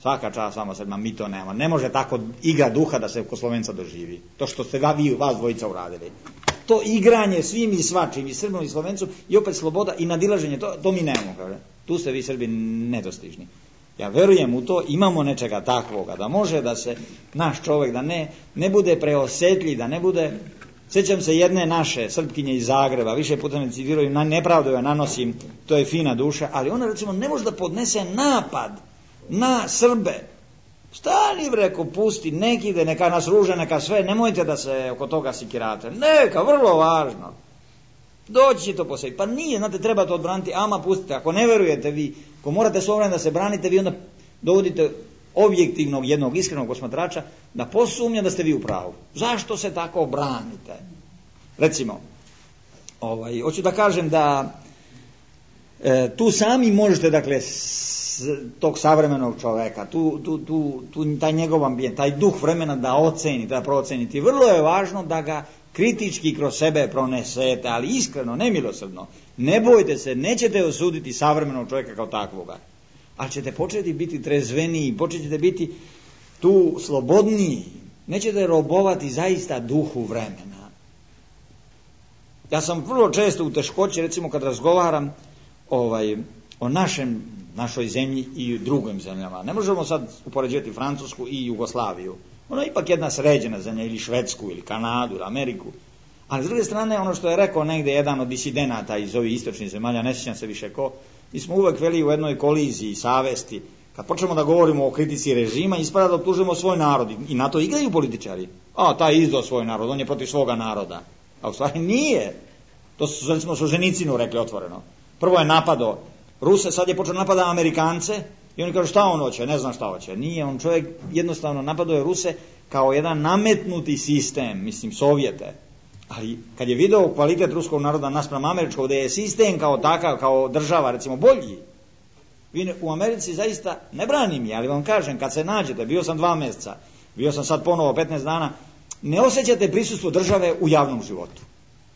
svaka čast vama Srbima, mi to nema. Ne može tako igra duha da se kod Slovenca doživi. To što ste vi, vas dvojica uradili. To igranje svim i svačim, i Srbom i Slovencom, i opet sloboda i nadilaženje, to, to mi nemamo, kaže. Tu ste vi Srbi nedostižni. Ja verujem u to, imamo nečega takvoga, da može da se naš čovjek, da ne, ne bude preosetljiv, da ne bude... Sjećam se jedne naše Srpkinje iz Zagreba, više puta me citiraju, na nepravdu ja nanosim, to je fina duša, ali ona recimo ne može da podnese napad na Srbe. Stani, reko, pusti, neki ide, neka nas ruže, neka sve, nemojte da se oko toga sikirate. Neka, vrlo važno. Doći to posebno. Pa nije, znate, treba to odbraniti, ama pustite. Ako ne verujete vi, ako morate s ovim da se branite, vi onda dovodite objektivnog, jednog iskrenog posmatrača da posumnja da ste vi u pravu. Zašto se tako branite? Recimo, ovaj, hoću da kažem da e, tu sami možete, dakle, s, tog savremenog čoveka, tu, tu, tu, tu, taj njegov ambijent, taj duh vremena da ocenite, da procenite. Vrlo je važno da ga kritički kroz sebe pronesete, ali iskreno, nemilosrdno. Ne bojte se, nećete osuditi savremenog čovjeka kao takvoga. Ali ćete početi biti trezveniji, počet ćete biti tu slobodniji, nećete robovati zaista duhu vremena. Ja sam vrlo često u teškoći, recimo kad razgovaram ovaj, o našem, našoj zemlji i drugim zemljama. Ne možemo sad upoređivati Francusku i Jugoslaviju. Ono je ipak jedna sređena zemlja, ili Švedsku, ili Kanadu, ili Ameriku. Ali s druge strane, ono što je rekao negde jedan od disidenata iz ovih istočnih zemalja, ne sjećam se više ko, mi smo uvek veli u jednoj koliziji, savesti, kad počnemo da govorimo o kritici režima, ispada da optužujemo svoj narod, i na to igraju političari. A, taj izdao svoj narod, on je protiv svoga naroda. A u stvari nije. To su, recimo, Solženicinu rekli otvoreno. Prvo je napadao Ruse, sad je počeo napada Amerikance, i oni kažu šta on hoće, ne znam šta hoće. Nije, on čovjek jednostavno napadao je Ruse kao jedan nametnuti sistem, mislim, Sovjete. Ali kad je video kvalitet ruskog naroda naspram američkog, da je sistem kao takav, kao država, recimo, bolji, vi u Americi zaista, ne branim je, ali vam kažem, kad se nađete, bio sam dva mjeseca, bio sam sad ponovo petnaest dana, ne osjećate prisustvo države u javnom životu.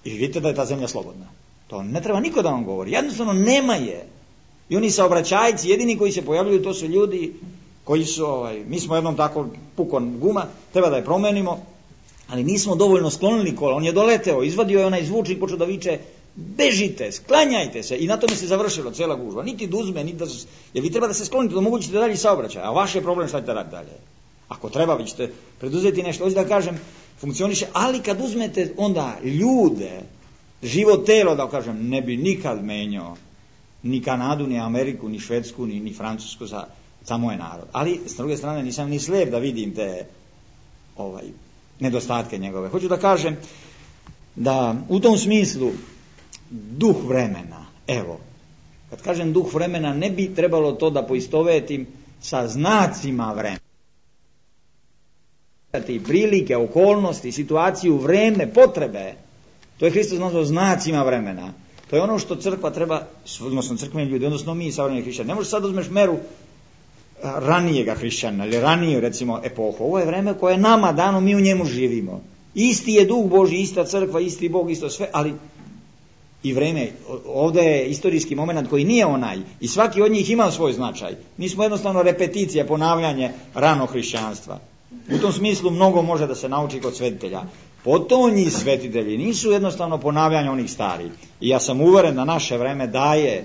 I vidite da je ta zemlja slobodna. To ne treba niko da vam govori. Jednostavno nema je. I oni saobraćajci, jedini koji se pojavljuju, to su ljudi koji su, ovaj, mi smo jednom tako pukon guma, treba da je promenimo, ali nismo dovoljno sklonili kola. On je doleteo, izvadio je onaj zvučnik, počeo da viče, bežite, sklanjajte se, i na tome se završilo cijela gužva. Niti da uzme, niti da... Jer vi treba da se sklonite, da omogućite dalje saobraćaj, a vaš je problem šta ćete raditi dalje. Ako treba, vi ćete preduzeti nešto, hoću da kažem, funkcioniše, ali kad uzmete onda ljude, živo telo, da kažem, ne bi nikad menjao ni Kanadu, ni Ameriku, ni Švedsku, ni, ni Francusku za, za moj narod. Ali, s druge strane, nisam ni slijep da vidim te ovaj, nedostatke njegove. Hoću da kažem da u tom smislu duh vremena, evo, kad kažem duh vremena, ne bi trebalo to da poistovetim sa znacima vremena. Prilike, okolnosti, situaciju, vreme, potrebe, to je Hristos nazvao znacima vremena. To je ono što crkva treba, odnosno crkveni ljudi, odnosno mi, savremeni hrišćani. Ne možeš sad uzmeš meru ranijega hrišćana ili ranije recimo epohu. Ovo je vreme koje je nama dano, mi u njemu živimo. Isti je duh Božji, ista crkva, isti Bog, isto sve, ali i vreme, ovdje je istorijski moment koji nije onaj i svaki od njih ima svoj značaj. Mi smo jednostavno repeticija, ponavljanje ranog hrišćanstva. U tom smislu mnogo može da se nauči kod svetitelja. Potonji svetitelji nisu jednostavno ponavljanje onih starih. I ja sam uveren da naše vreme daje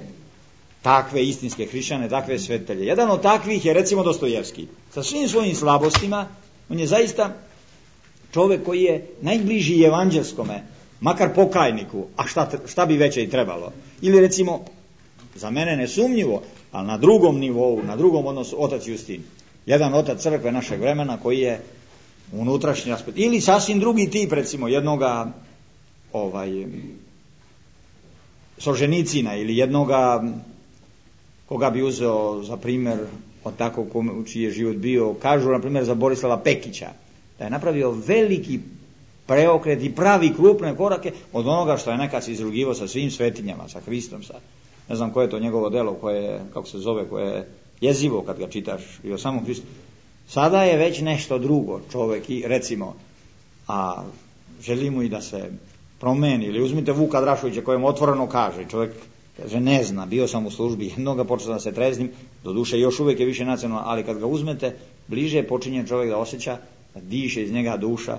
takve istinske hrišćane, takve svetitelje. Jedan od takvih je recimo Dostojevski. Sa svim svojim slabostima, on je zaista čovjek koji je najbliži evanđelskome, makar pokajniku, a šta, šta bi veće i trebalo. Ili recimo, za mene nesumnjivo, ali na drugom nivou, na drugom odnosu, otac Justin. Jedan otac crkve našeg vremena koji je unutrašnji aspekt. Ili sasvim drugi tip, recimo, jednoga ovaj, Solženicina ili jednoga koga bi uzeo za primjer od takvog čiji je život bio, kažu na primjer za Borislava Pekića, da je napravio veliki preokret i pravi krupne korake od onoga što je nekad se izrugivao sa svim svetinjama, sa Hristom, sa, ne znam koje je to njegovo delo, koje je, kako se zove, koje je jezivo kad ga čitaš i o samom Hristu. Sada je već nešto drugo čovjek i recimo, a želi mu i da se promeni, ili uzmite Vuka Drašovića kojem otvoreno kaže, čovjek kaže ne zna, bio sam u službi, jednoga počeo da se treznim, doduše još uvijek je više nacionalno, ali kad ga uzmete, bliže počinje čovjek da osjeća, da diše iz njega duša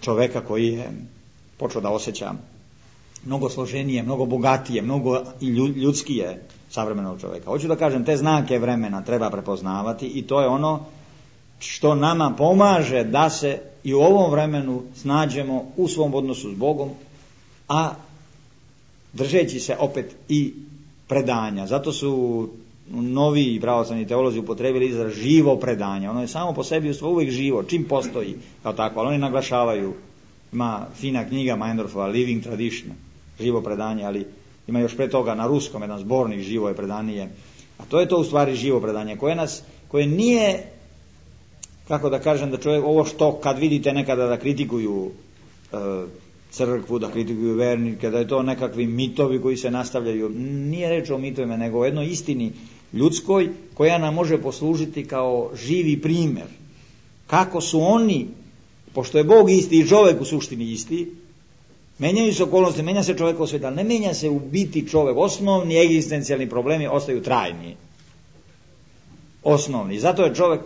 čovjeka koji je počeo da osjeća mnogo složenije, mnogo bogatije, mnogo i ljudskije savremenog čovjeka. Hoću da kažem, te znake vremena treba prepoznavati i to je ono što nama pomaže da se i u ovom vremenu snađemo u svom odnosu s Bogom, a držeći se opet i predanja. Zato su novi pravoslavni teolozi upotrebili izraz živo predanje. Ono je samo po sebi uvijek živo, čim postoji kao takvo, ali oni naglašavaju, ima fina knjiga Meindorfova, Living Tradition, živo predanje, ali ima još pre toga na ruskom jedan zbornik živo je predanje. A to je to u stvari živo predanje, koje nas, koje nije, kako da kažem, da čovjek, ovo što kad vidite nekada da kritikuju e, crkvu, da kritikuju vernike, da je to nekakvi mitovi koji se nastavljaju. Nije reč o mitovima, nego o jednoj istini ljudskoj koja nam može poslužiti kao živi primjer. Kako su oni, pošto je Bog isti i čovjek u suštini isti, menjaju se okolnosti, menja se čovjekov svijet, ali ne menja se u biti čovjek. Osnovni egzistencijalni problemi ostaju trajni. Osnovni. Zato je čovjek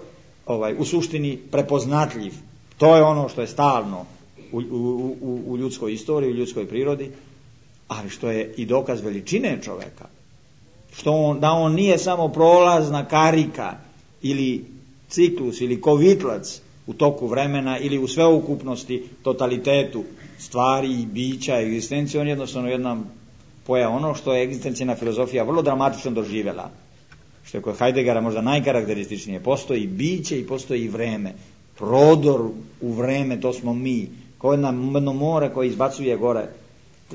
ovaj, u suštini prepoznatljiv. To je ono što je stalno u, u, u, u ljudskoj istoriji, u ljudskoj prirodi, ali što je i dokaz veličine čovjeka. Što on, da on nije samo prolazna karika ili ciklus ili kovitlac u toku vremena ili u sveukupnosti, totalitetu stvari i bića, egzistencije, on jednostavno jedna poja ono što je egzistencijna filozofija vrlo dramatično doživjela. Što je kod Heideggera možda najkarakterističnije. Postoji biće i postoji i vreme. Prodor u vreme, to smo mi. Kao jedno more koje izbacuje gore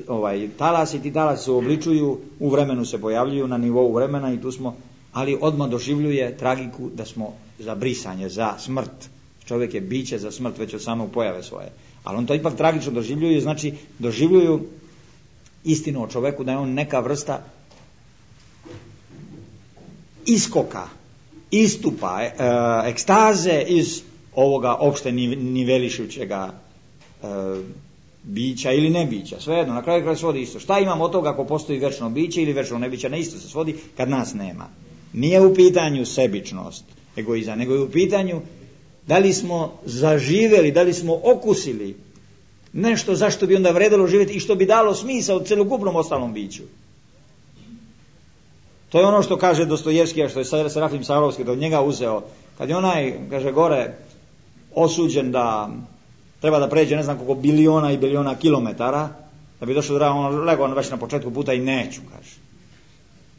ovaj, talas i ti talasi se obličuju, u vremenu se pojavljuju na nivou vremena i tu smo, ali odmah doživljuje tragiku da smo za brisanje, za smrt. Čovjek je biće za smrt već od samog pojave svoje. Ali on to ipak tragično doživljuju, znači doživljuju istinu o čovjeku da je on neka vrsta iskoka, istupa, e, ekstaze iz ovoga opšte nivelišućega e, bića ili ne bića, svejedno, na kraju kraja svodi isto. Šta imamo od toga ako postoji večno biće ili večno nebiće, na isto se svodi kad nas nema. Nije u pitanju sebičnost, egoizam, nego je u pitanju da li smo zaživjeli, da li smo okusili nešto zašto bi onda vredilo živjeti i što bi dalo smisao celokupnom ostalom biću. To je ono što kaže Dostojevski, a što je Serafim Sarovski da od njega uzeo, kad je onaj, kaže gore, osuđen da treba da pređe ne znam koliko biliona i biliona kilometara, da bi došao da on legao već na početku puta i neću, kaže.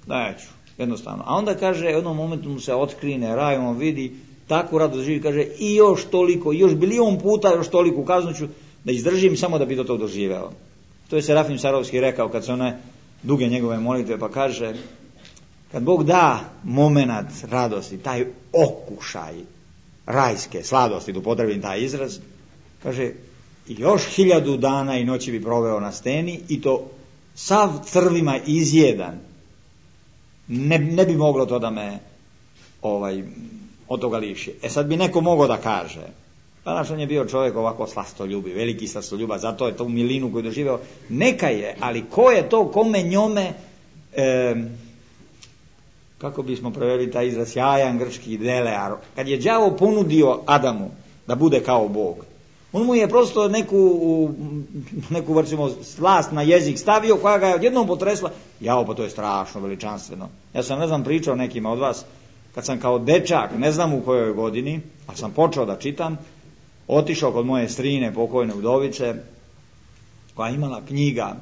Neću, jednostavno. A onda kaže, u jednom momentu mu se otkrine raj, on vidi takvu radost živi, kaže i još toliko, još bilion puta, još toliko kaznu ću da izdržim samo da bi do tog doživeo. To je Serafim Sarovski rekao kad se one duge njegove molitve, pa kaže, kad Bog da momenat radosti, taj okušaj rajske sladosti, da upotrebim taj izraz, kaže, još hiljadu dana i noći bi proveo na steni i to sav crvima izjedan. Ne, ne bi moglo to da me ovaj, od toga liši. E sad bi neko mogao da kaže, pa naš on je bio čovjek ovako slastoljubi, veliki slastoljubac, zato je tu milinu koju doživeo, neka je, ali ko je to kome njome, e, kako bismo preveli taj izraz, sjajan grčki delear, kad je đavo ponudio Adamu da bude kao Bog, on mu je prosto neku, neku vrcimo, slast na jezik stavio koja ga je odjednom potresla. Jao, pa to je strašno veličanstveno. Ja sam, ne znam, pričao nekima od vas, kad sam kao dečak, ne znam u kojoj godini, ali sam počeo da čitam, otišao kod moje strine, pokojne udovice, koja je imala knjiga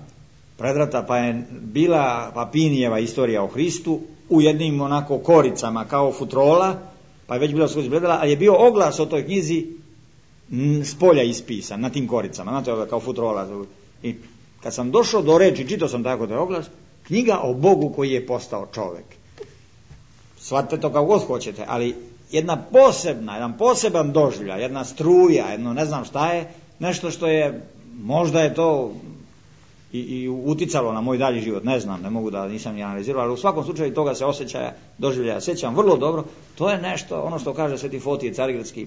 predrata, pa je bila Papinijeva istorija o Hristu u jednim onako koricama kao futrola, pa je već bila skoro izgledala, ali je bio oglas o toj knjizi s polja ispisan na tim koricama, znate, kao futrola. I kad sam došao do reči, čitao sam tako da je oglas, knjiga o Bogu koji je postao čovjek. Shvatite to kao god hoćete, ali jedna posebna, jedan poseban doživljaj, jedna struja, jedno ne znam šta je, nešto što je, možda je to i, i uticalo na moj dalji život, ne znam, ne mogu da nisam ni analizirao, ali u svakom slučaju toga se osjećaja, doživljaja sjećam vrlo dobro. To je nešto, ono što kaže Sveti Fotije Carigradski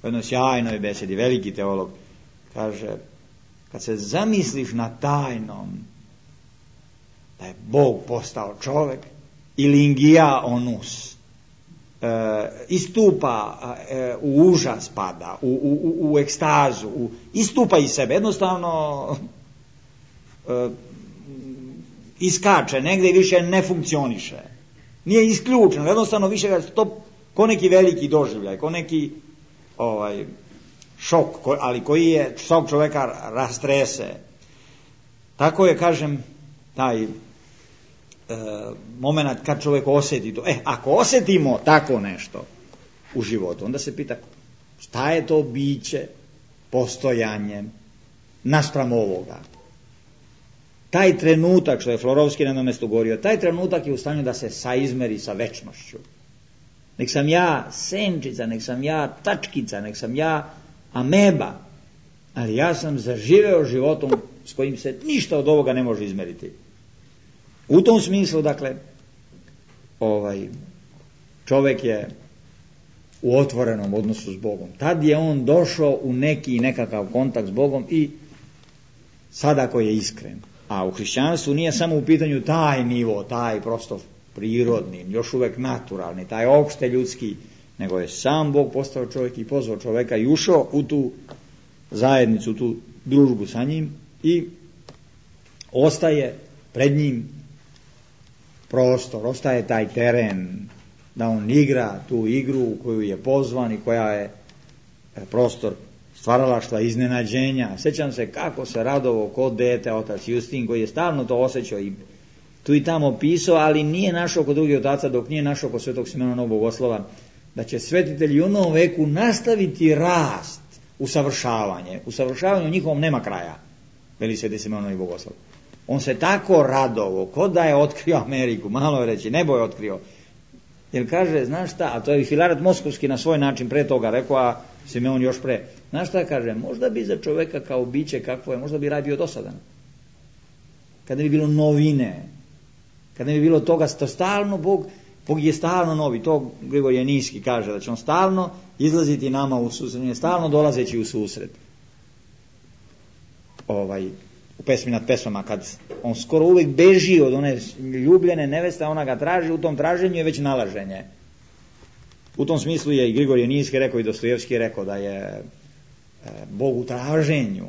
u jednoj sjajnoj besedi, veliki teolog, kaže, kad se zamisliš na tajnom da je Bog postao čovjek, ili ingija onus, e, istupa e, u užas pada, u, u, u ekstazu, u, istupa iz sebe, jednostavno e, iskače negdje i više ne funkcioniše. Nije isključeno, jednostavno više ga to ko neki veliki doživljaj, ko neki ovaj, šok, ko, ali koji je svog čovjeka rastrese. Tako je, kažem, taj e, moment kad čovjek osjeti to. E, ako osjetimo tako nešto u životu, onda se pita šta je to biće, postojanje naspram ovoga. Taj trenutak, što je Florovski na jednom mjestu govorio, taj trenutak je u stanju da se saizmeri sa večnošću. Nek sam ja senčica, nek sam ja tačkica, nek sam ja ameba, ali ja sam zaživeo životom s kojim se ništa od ovoga ne može izmeriti. U tom smislu, dakle, ovaj, čovjek je u otvorenom odnosu s Bogom. Tad je on došao u neki nekakav kontakt s Bogom i sada ako je iskren. A u hrišćanstvu nije samo u pitanju taj nivo, taj prosto prirodni, još uvijek naturalni, taj opšte ljudski, nego je sam Bog postao čovjek i pozvao čovjeka i ušao u tu zajednicu, tu družbu sa njim i ostaje pred njim prostor, ostaje taj teren da on igra tu igru u koju je pozvan i koja je prostor stvaralaštva, iznenađenja. Sjećam se kako se radovo kod dete otac Justin, koji je stalno to osjećao i tu i tamo pisao, ali nije našao kod drugih otaca, dok nije našao kod Svetog Simeona Novog Bogoslova, da će svetitelji u novom veku nastaviti rast, usavršavanje. Usavršavanju njihovom nema kraja, veli Sveti Simeon Novi Bogoslov. On se tako radovo, kod da je otkrio Ameriku, malo je reći, nebo je otkrio. Jer kaže, znaš šta, a to je i Filaret Moskovski na svoj način pre toga rekao, a Simeon još pre. Znaš šta kaže, možda bi za čovjeka kao biće kakvo je, možda bi raj bio dosadan. Kada bi bilo novine, kada bi bilo toga, to stalno Bog, Bog je stalno novi, to Grigorije Niski kaže, da će on stalno izlaziti nama u susret, stalno dolazeći u susret. Ovaj, u pesmi nad pesmama, kad on skoro uvijek beži od one ljubljene neveste, ona ga traži, u tom traženju je već nalaženje. U tom smislu je i Grigorije Niski rekao i Dostojevski rekao da je e, Bog u traženju,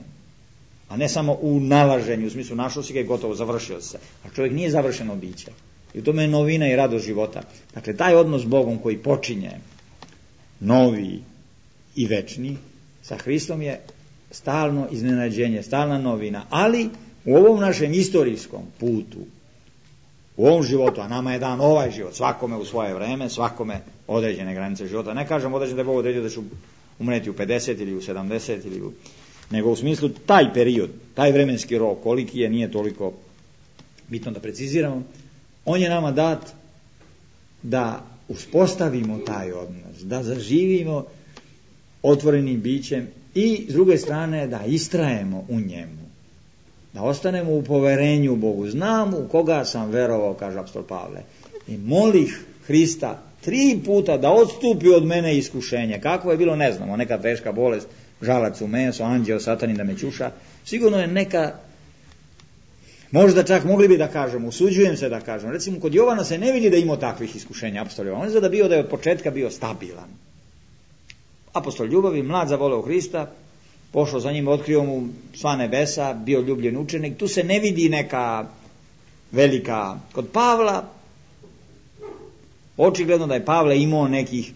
a ne samo u nalaženju, u smislu našao si ga i gotovo, završio se. A čovjek nije završeno biće. I u tome je novina i radost života. Dakle, taj odnos s Bogom koji počinje novi i večni, sa Hristom je stalno iznenađenje, stalna novina, ali u ovom našem istorijskom putu, u ovom životu, a nama je dan ovaj život, svakome u svoje vreme, svakome određene granice života. Ne kažem određene da je Bog određeno da ću umreti u pedeset ili u sedamdeset, ili u... nego u smislu taj period, taj vremenski rok, koliki je, nije toliko bitno da preciziramo, on je nama dat da uspostavimo taj odnos, da zaživimo otvorenim bićem i s druge strane da istrajemo u njemu, da ostanemo u poverenju u Bogu. Znam u koga sam verovao, kaže apostol Pavle, i molih Hrista tri puta da odstupi od mene iskušenje. Kako je bilo, ne znamo, neka teška bolest, žalac u meso, anđeo satanin da me ćuša. Sigurno je neka, možda čak mogli bi da kažemo, usuđujem se da kažem, recimo kod Jovana se ne vidi da imao takvih iskušenja apostolova. On je zada bio da je od početka bio stabilan. Apostol ljubavi, mlad zavoleo Hrista, pošao za njim, otkrio mu sva nebesa, bio ljubljen učenik. Tu se ne vidi neka velika. Kod Pavla, očigledno da je Pavle imao nekih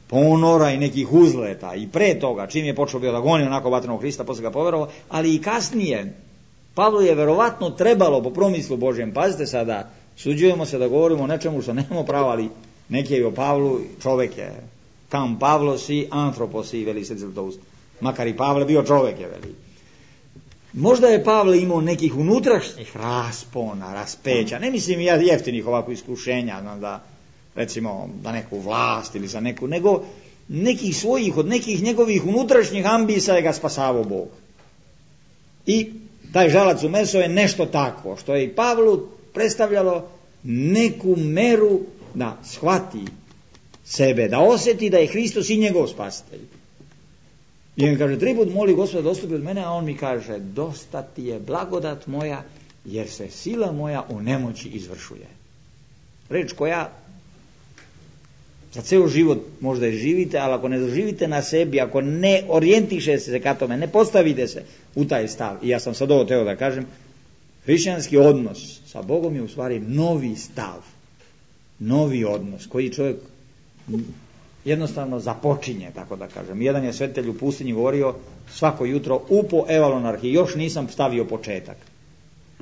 ponora i nekih uzleta i pre toga, čim je počeo bio da goni onako vatrenog Hrista, posle ga poverovao, ali i kasnije. Pavlu je verovatno trebalo po promislu Božjem, pazite sada, suđujemo se da govorimo o nečemu što nemamo pravo, ali neki je o Pavlu, čovek je, kam Pavlo si, antropos si, veli se Zlatoust. Makar i Pavle bio čovek je, veli. Možda je Pavle imao nekih unutrašnjih raspona, raspeća, ne mislim ja jeftinih ovako iskušenja, znam da, recimo, za neku vlast ili za neku, nego nekih svojih, od nekih njegovih unutrašnjih ambisa je ga spasavao Bog. I taj žalac u meso je nešto tako, što je i Pavlu predstavljalo neku meru da shvati sebe, da osjeti da je Hristos i njegov spasitelj. I on kaže, tri put moli Gospoda da odstupi od mene, a on mi kaže, dosta ti je blagodat moja, jer se sila moja u nemoći izvršuje. Reč koja za ceo život možda je živite, ali ako ne doživite na sebi, ako ne orijentiše se ka tome, ne postavite se u taj stav, i ja sam sad ovo teo da kažem, hrišćanski odnos sa Bogom je u stvari novi stav, novi odnos, koji čovjek jednostavno započinje, tako da kažem. Jedan je svetitelj u pustinji govorio, svako jutro upo evalonarhi, još nisam stavio početak.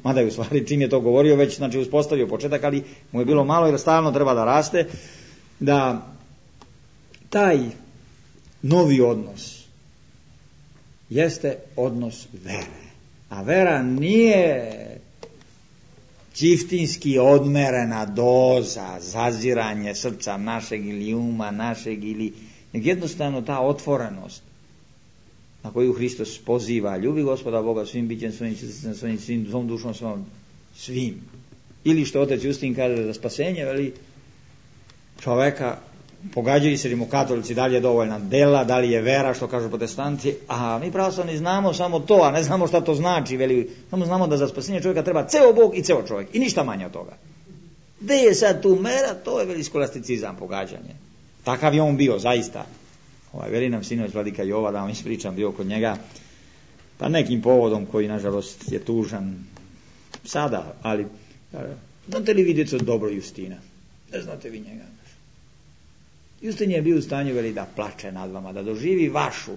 Mada je u stvari čim je to govorio, već znači uspostavio početak, ali mu je bilo malo jer stalno treba da raste, da taj novi odnos jeste odnos vere. A vera nije čiftinski odmerena doza, zaziranje srca našeg ili uma našeg, ili nego jednostavno ta otvorenost na koju Hristos poziva, ljubi Gospoda Boga svim bićem, svojim srcem, svojim svim, svom dušom, svom, svim. Ili što otac Justin kaže za spasenje, veli, čoveka pogađaju se li mu katolici da li je dovoljna dela, da li je vera, što kažu protestanti, a mi pravoslavni znamo samo to, a ne znamo šta to znači, veli, samo znamo da za spasenje čovjeka treba ceo Bog i ceo čovjek i ništa manje od toga. Gde je sad tu mera, to je veli skolasticizam, pogađanje. Takav je on bio, zaista. Ovaj, veli nam sinoć vladika Jova, da vam ispričam, bio kod njega, pa nekim povodom koji nažalost je tužan sada, ali znate li vidjeti od dobro Justina? Ne znate vi njega? Justin je bio u stanju, veli, da plače nad vama, da doživi vašu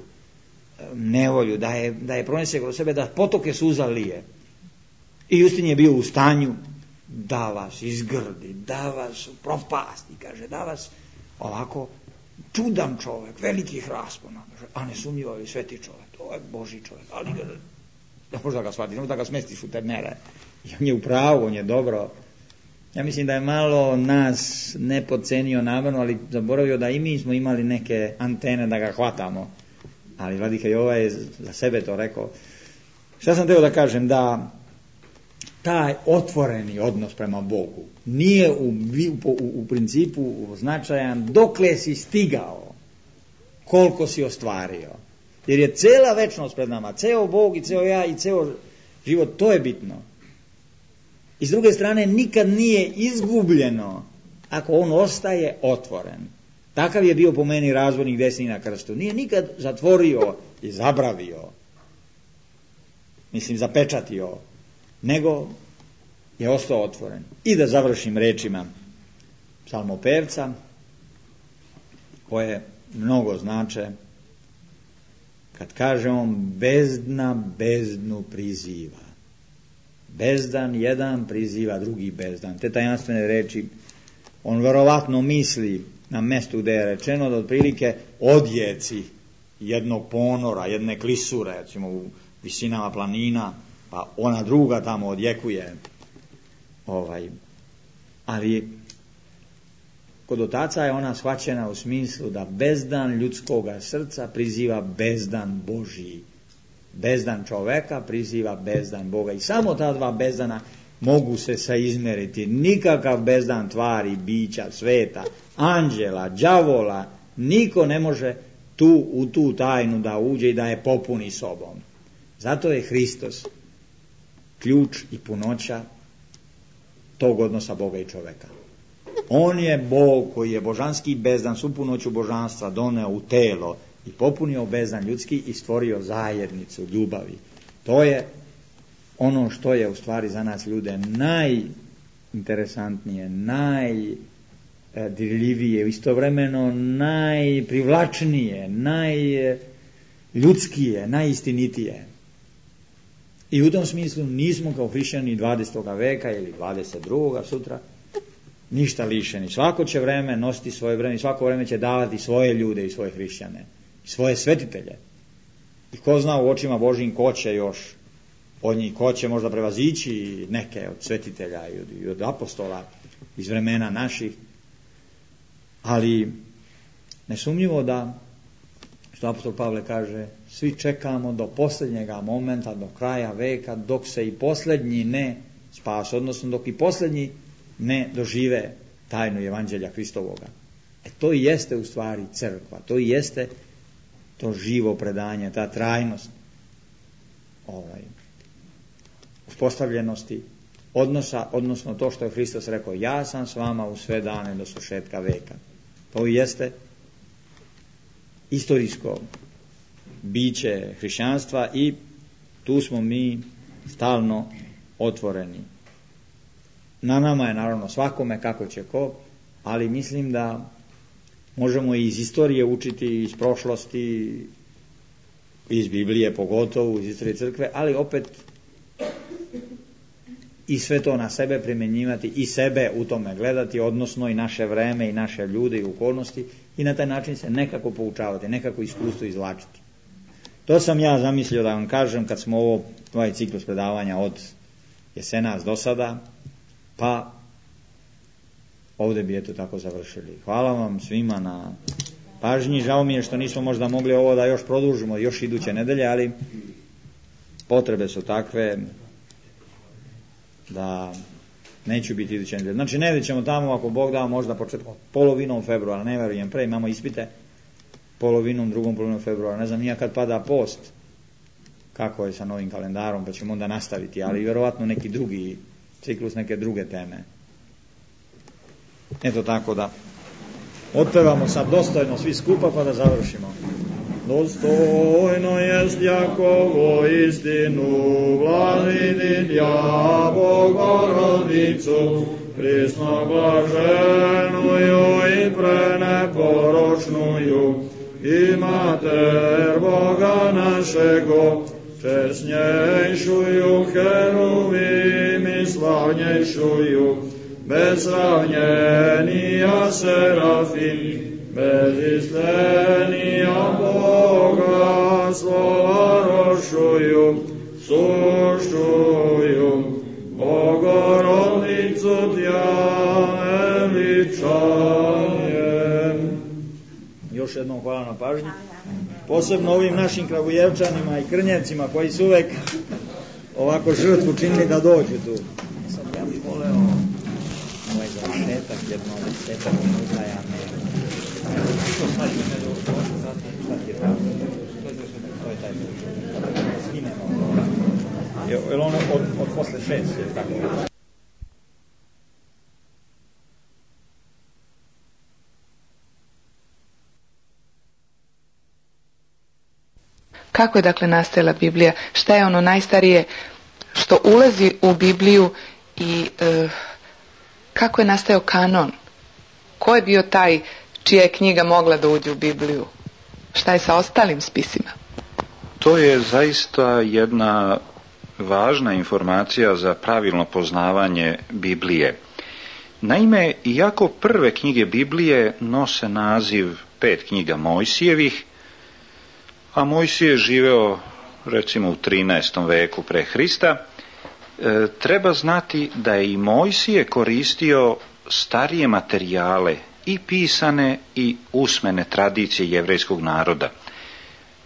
nevolju, da je, da je pronese kroz sebe, da potoke suza lije. I Justin je bio u stanju da vas izgrdi, da vas propasti, kaže, da vas ovako čudan čovjek, velikih raspona, kaže, a nesumnjivo je sveti čovjek, to je Božji čovjek, ali ga, da možda ga shvatiš, da ga smestiš u te mere. I on je u pravu, on je dobro. Ja mislim da je malo nas ne podcenio namjerno, ali zaboravio da i mi smo imali neke antene da ga hvatamo. Ali vladika Jova je za sebe to rekao. Šta sam teo da kažem? Da taj otvoreni odnos prema Bogu nije u, u, u principu značajan dokle si stigao, koliko si ostvario. Jer je cela večnost pred nama, ceo Bog i ceo ja i ceo život, to je bitno. I s druge strane, nikad nije izgubljeno ako on ostaje otvoren. Takav je bio po meni razvojnik desni na krstu. Nije nikad zatvorio i zabravio, mislim zapečatio, nego je ostao otvoren. I da završim rečima psalmopevca, koje mnogo znače, kad kaže on, bezdna bezdnu priziva. Bezdan jedan priziva drugi bezdan. Te tajanstvene reči on verovatno misli na mjestu gdje je rečeno da otprilike odjeci jednog ponora, jedne klisure, recimo u visinama planina, pa ona druga tamo odjekuje. Ovaj. Ali kod otaca je ona shvaćena u smislu da bezdan ljudskoga srca priziva bezdan Božji. Bezdan čoveka priziva bezdan Boga. I samo ta dva bezdana mogu se saizmeriti. Nikakav bezdan tvari, bića, sveta, anđela, đavola, niko ne može tu, u tu tajnu da uđe i da je popuni sobom. Zato je Hristos ključ i punoća tog odnosa Boga i čoveka. On je Bog koji je božanski bezdan, svu punoću božanstva doneo u telo i popunio bezdan ljudski i stvorio zajednicu ljubavi. To je ono što je u stvari za nas ljude najinteresantnije, najdirljivije, istovremeno najprivlačnije, najljudskije, najistinitije. I u tom smislu nismo kao hrišćani dvadesetog veka ili dvadeset drugog sutra ništa lišeni. Svako će vreme nositi svoje vreme i svako vreme će davati svoje ljude i svoje hrišćane, i svoje svetitelje. I ko zna u očima Božjim ko će još od njih, ko će možda prevazići neke od svetitelja i od, i od apostola iz vremena naših. Ali nesumnjivo da, što apostol Pavle kaže, svi čekamo do posljednjega momenta, do kraja veka, dok se i posljednji ne spas, odnosno dok i posljednji ne dožive tajnu evanđelja Hristovoga. E to i jeste u stvari crkva, to i jeste to živo predanje, ta trajnost ovaj, uspostavljenosti odnosa, odnosno to što je Hristos rekao, ja sam s vama u sve dane do svršetka veka. To i jeste istorijsko biće hrišćanstva i tu smo mi stalno otvoreni. Na nama je naravno svakome kako će ko, ali mislim da možemo i iz istorije učiti, iz prošlosti, iz Biblije pogotovo, iz istorije crkve, ali opet i sve to na sebe primjenjivati i sebe u tome gledati, odnosno i naše vreme i naše ljude i okolnosti i na taj način se nekako poučavati, nekako iskustvo izvlačiti. To sam ja zamislio da vam kažem kad smo ovo, ovaj ciklus predavanja od jesenas do sada, pa ovdje bi eto tako završili. Hvala vam svima na pažnji. Žao mi je što nismo možda mogli ovo da još produžimo još iduće nedelje, ali potrebe su takve da neću biti iduće nedelje. Znači negdje ćemo tamo, ako Bog da, možda početkom polovinom februara, ne verujem pre, imamo ispite polovinom, drugom polovinom februara, ne znam nija kad pada post, kako je sa novim kalendarom, pa ćemo onda nastaviti, ali vjerovatno neki drugi ciklus, neke druge teme. Eto tako da otpevamo sad dostojno svi skupa pa da završimo. Dostojno jest Jakovo istinu vladini ja Bogorodicu prisno blaženuju i preneporočnuju i mater Boga našego česnjejšuju heruvim i slavnjejšuju bez sravnjenija serafim bez istenija Boga slova rošuju sušuju Bogorodicu tja veličajem. Još jednom hvala na pažnji, posebno ovim našim Kragujevčanima i Krnjevcima koji su uvek ovako žrtvu činili da dođu tu. Sad ja bih voleo ovaj završetak jedno desetak minuta, ja ne to sad je me do sad je to je taj skinemo je li ono od, od posle šest je tako. Kako je dakle nastajala Biblija? Šta je ono najstarije što ulazi u Bibliju i e, kako je nastajao kanon? Ko je bio taj čija je knjiga mogla da uđe u Bibliju? Šta je sa ostalim spisima? To je zaista jedna važna informacija za pravilno poznavanje Biblije. Naime, iako prve knjige Biblije nose naziv pet knjiga Mojsijevih, a Mojsije je živeo recimo u trinaestom veku pre Hrista, e, treba znati da je i Mojsije koristio starije materijale i pisane i usmene tradicije jevrejskog naroda.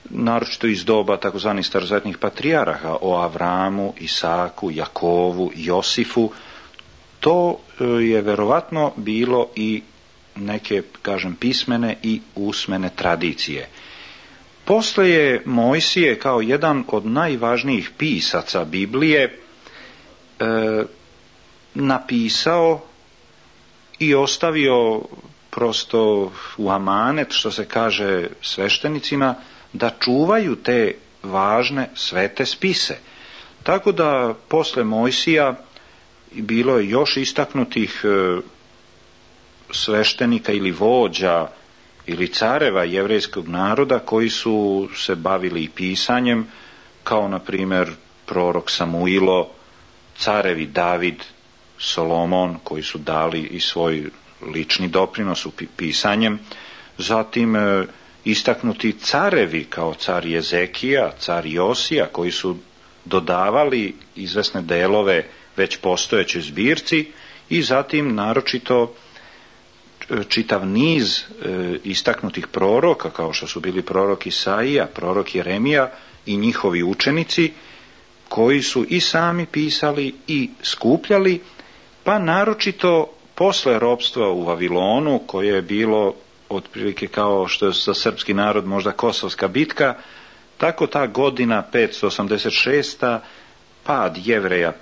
naročito iz doba takozvanih starozavetnih patrijaraha, o Avramu, Isaku, Jakovu, Josifu. To je verovatno bilo i neke, kažem, pismene i usmene tradicije. Posle je Mojsije kao jedan od najvažnijih pisaca Biblije e, napisao i ostavio prosto u amanet, što se kaže, sveštenicima, da čuvaju te važne svete spise. Tako da posle Mojsija bilo je još istaknutih e, sveštenika ili vođa ili careva jevrejskog naroda koji su se bavili i pisanjem, kao na primjer prorok Samuilo, carevi David, Solomon, koji su dali i svoj lični doprinos u pisanjem, zatim e, istaknuti carevi kao car Jezekija, car Josija, koji su dodavali izvesne delove već postojećoj zbirci, i zatim naročito čitav niz e, istaknutih proroka, kao što su bili prorok Isaija, prorok Jeremija i njihovi učenici, koji su i sami pisali i skupljali, pa naročito posle ropstva u Vavilonu, koje je bilo otprilike kao što je za srpski narod možda Kosovska bitka, tako ta godina petsto osamdeset šesta pad Jevreja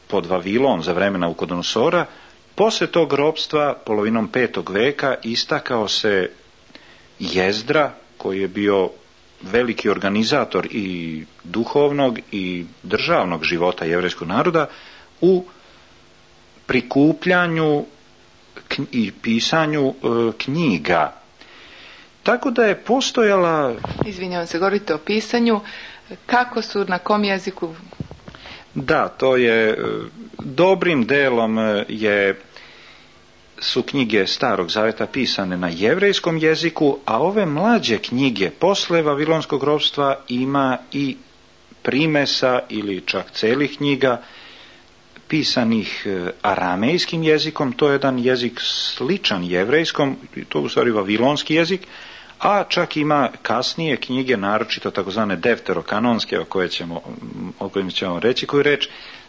pod Vavilon za vremena Navukodonosora. Posle tog ropstva, polovinom petog veka, istakao se Jezdra, koji je bio veliki organizator i duhovnog i državnog života jevrejskog naroda u prikupljanju i pisanju e, knjiga. Tako da je postojala... Izvinjavam se, govorite o pisanju. Kako su, na kom jeziku? Da, to je dobrim delom je su knjige Starog Zaveta pisane na jevrejskom jeziku, a ove mlađe knjige posle Vavilonskog ropstva ima i primesa ili čak celih knjiga pisanih aramejskim jezikom. To je jedan jezik sličan jevrejskom, to je u stvari vavilonski jezik, a čak ima kasnije knjige, naročito takozvane defterokanonske, o koje ćemo, o kojim ćemo reći koju reč,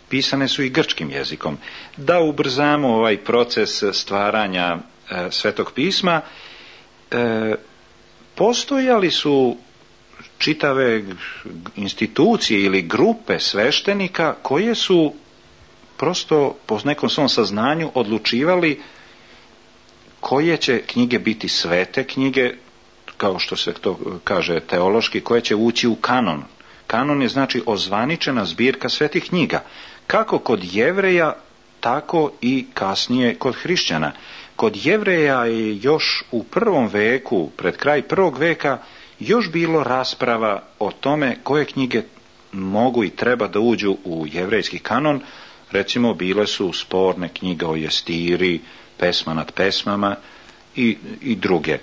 pisane su i grčkim jezikom. Da ubrzamo ovaj proces stvaranja e, Svetog pisma, e, postojali su čitave institucije ili grupe sveštenika koje su prosto po nekom svom saznanju odlučivali koje će knjige biti svete knjige, kao što se to kaže teološki, koje će ući u kanon. Kanon je znači ozvaničena zbirka svetih knjiga, kako kod Jevreja, tako i kasnije kod hrišćana. Kod Jevreja je još u prvom veku, pred kraj prvog veka, još bilo rasprava o tome koje knjige mogu i treba da uđu u jevrejski kanon. Recimo, bile su sporne knjige o Jestiri, Pesma nad pesmama i, i druge.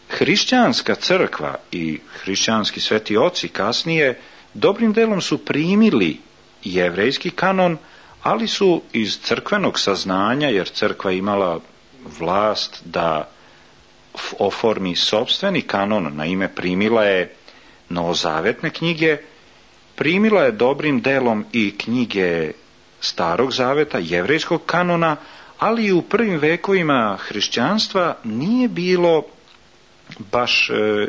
Hrišćanska crkva i hrišćanski sveti oci kasnije dobrim delom su primili jevrejski kanon, ali su iz crkvenog saznanja, jer crkva imala vlast da oformi sopstveni kanon, naime primila je novozavetne knjige, primila je dobrim delom i knjige Starog Zaveta, jevrejskog kanona, ali i u prvim vekovima hrišćanstva nije bilo baš e,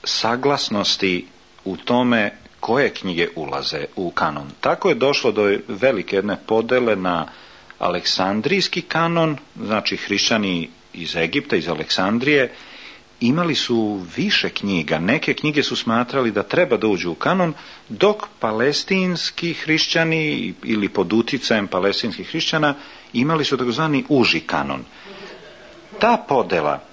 saglasnosti u tome koje knjige ulaze u kanon. Tako je došlo do velike jedne podele na aleksandrijski kanon, znači hrišćani iz Egipta, iz Aleksandrije, imali su više knjiga. Neke knjige su smatrali da treba da uđu u kanon, dok palestinski hrišćani ili pod uticajem palestinskih hrišćana imali su takozvani uži kanon. Ta podela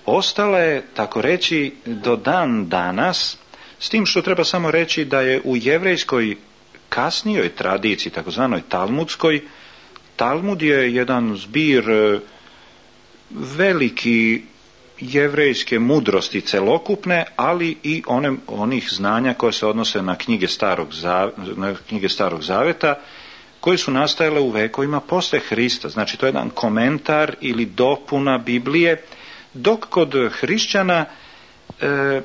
ostala je, tako reći, do dan danas, s tim što treba samo reći da je u jevrejskoj kasnijoj tradiciji, takozvanoj talmudskoj, Talmud je jedan zbir veliki jevrejske mudrosti celokupne, ali i one, onih znanja koje se odnose na knjige Starog, na knjige Starog Zaveta, koje su nastajale u vekovima posle Hrista. Znači, to je jedan komentar ili dopuna Biblije, dok kod hrišćana e,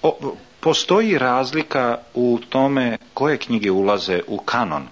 O, postoji razlika u tome koje knjige ulaze u kanon.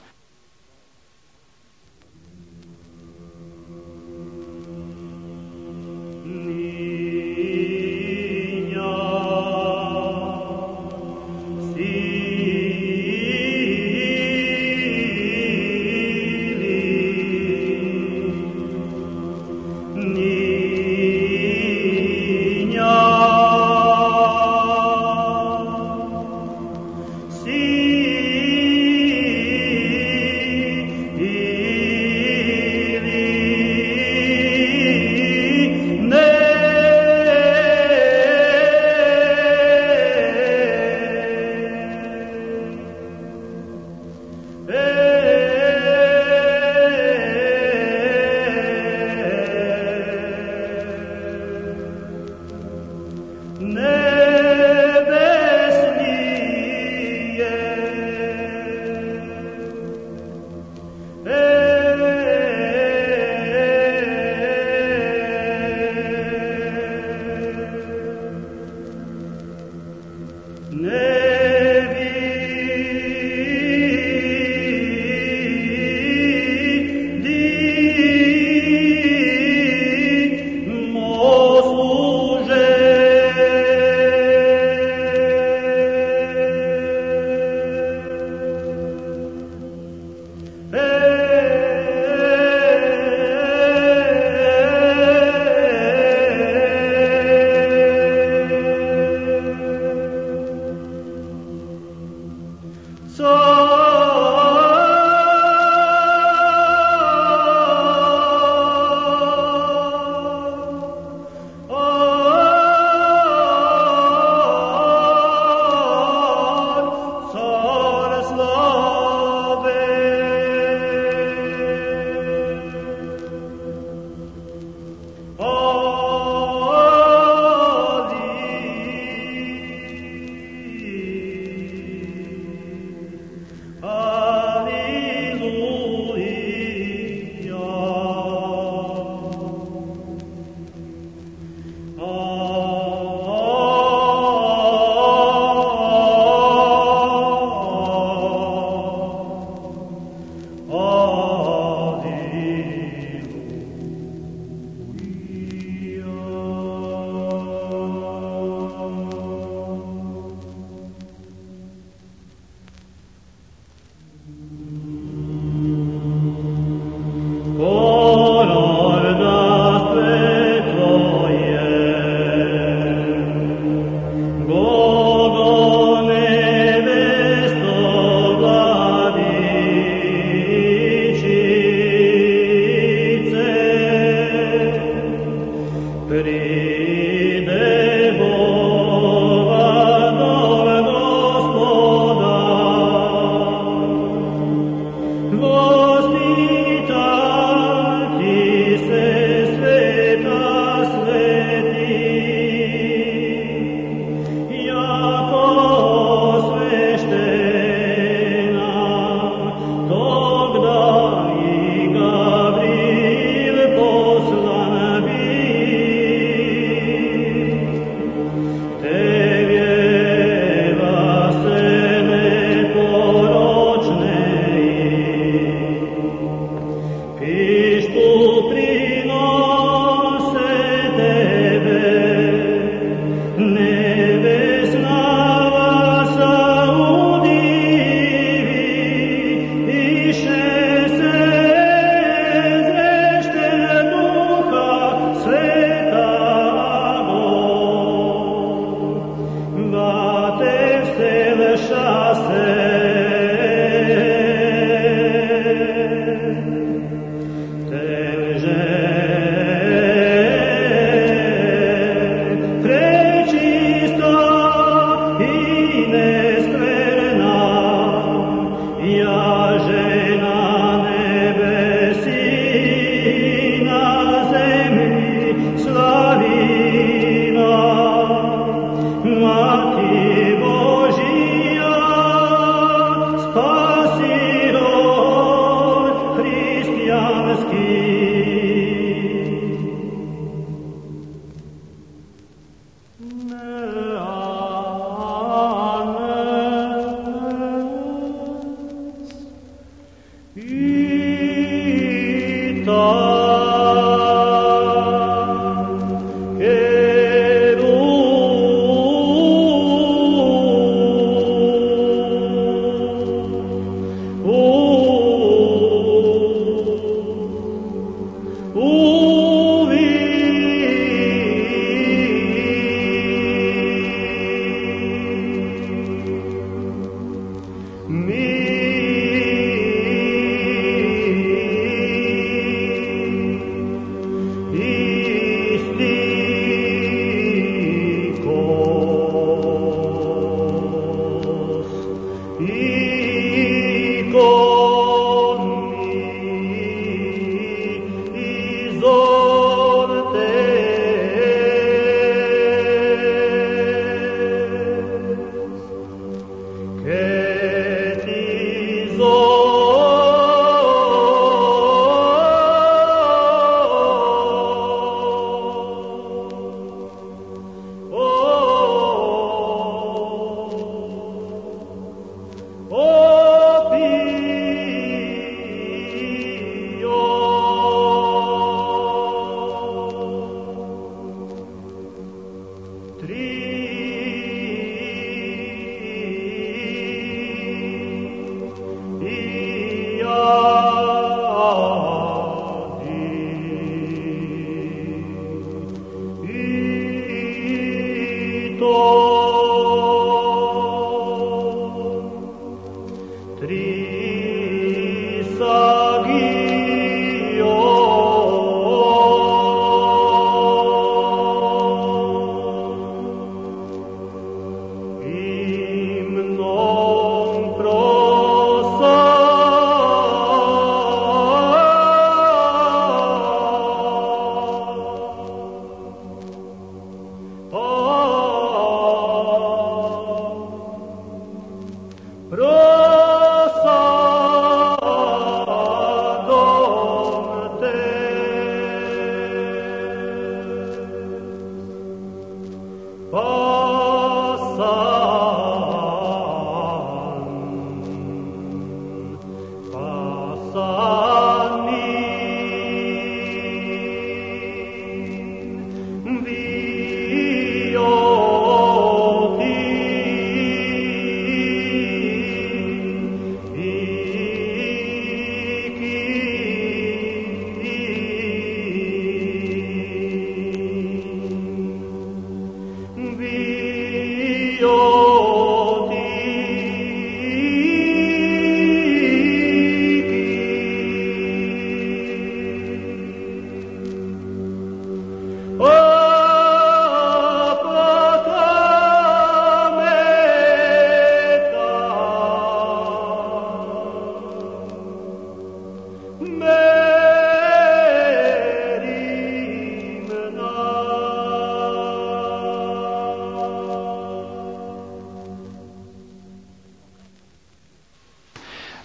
Mati Božija,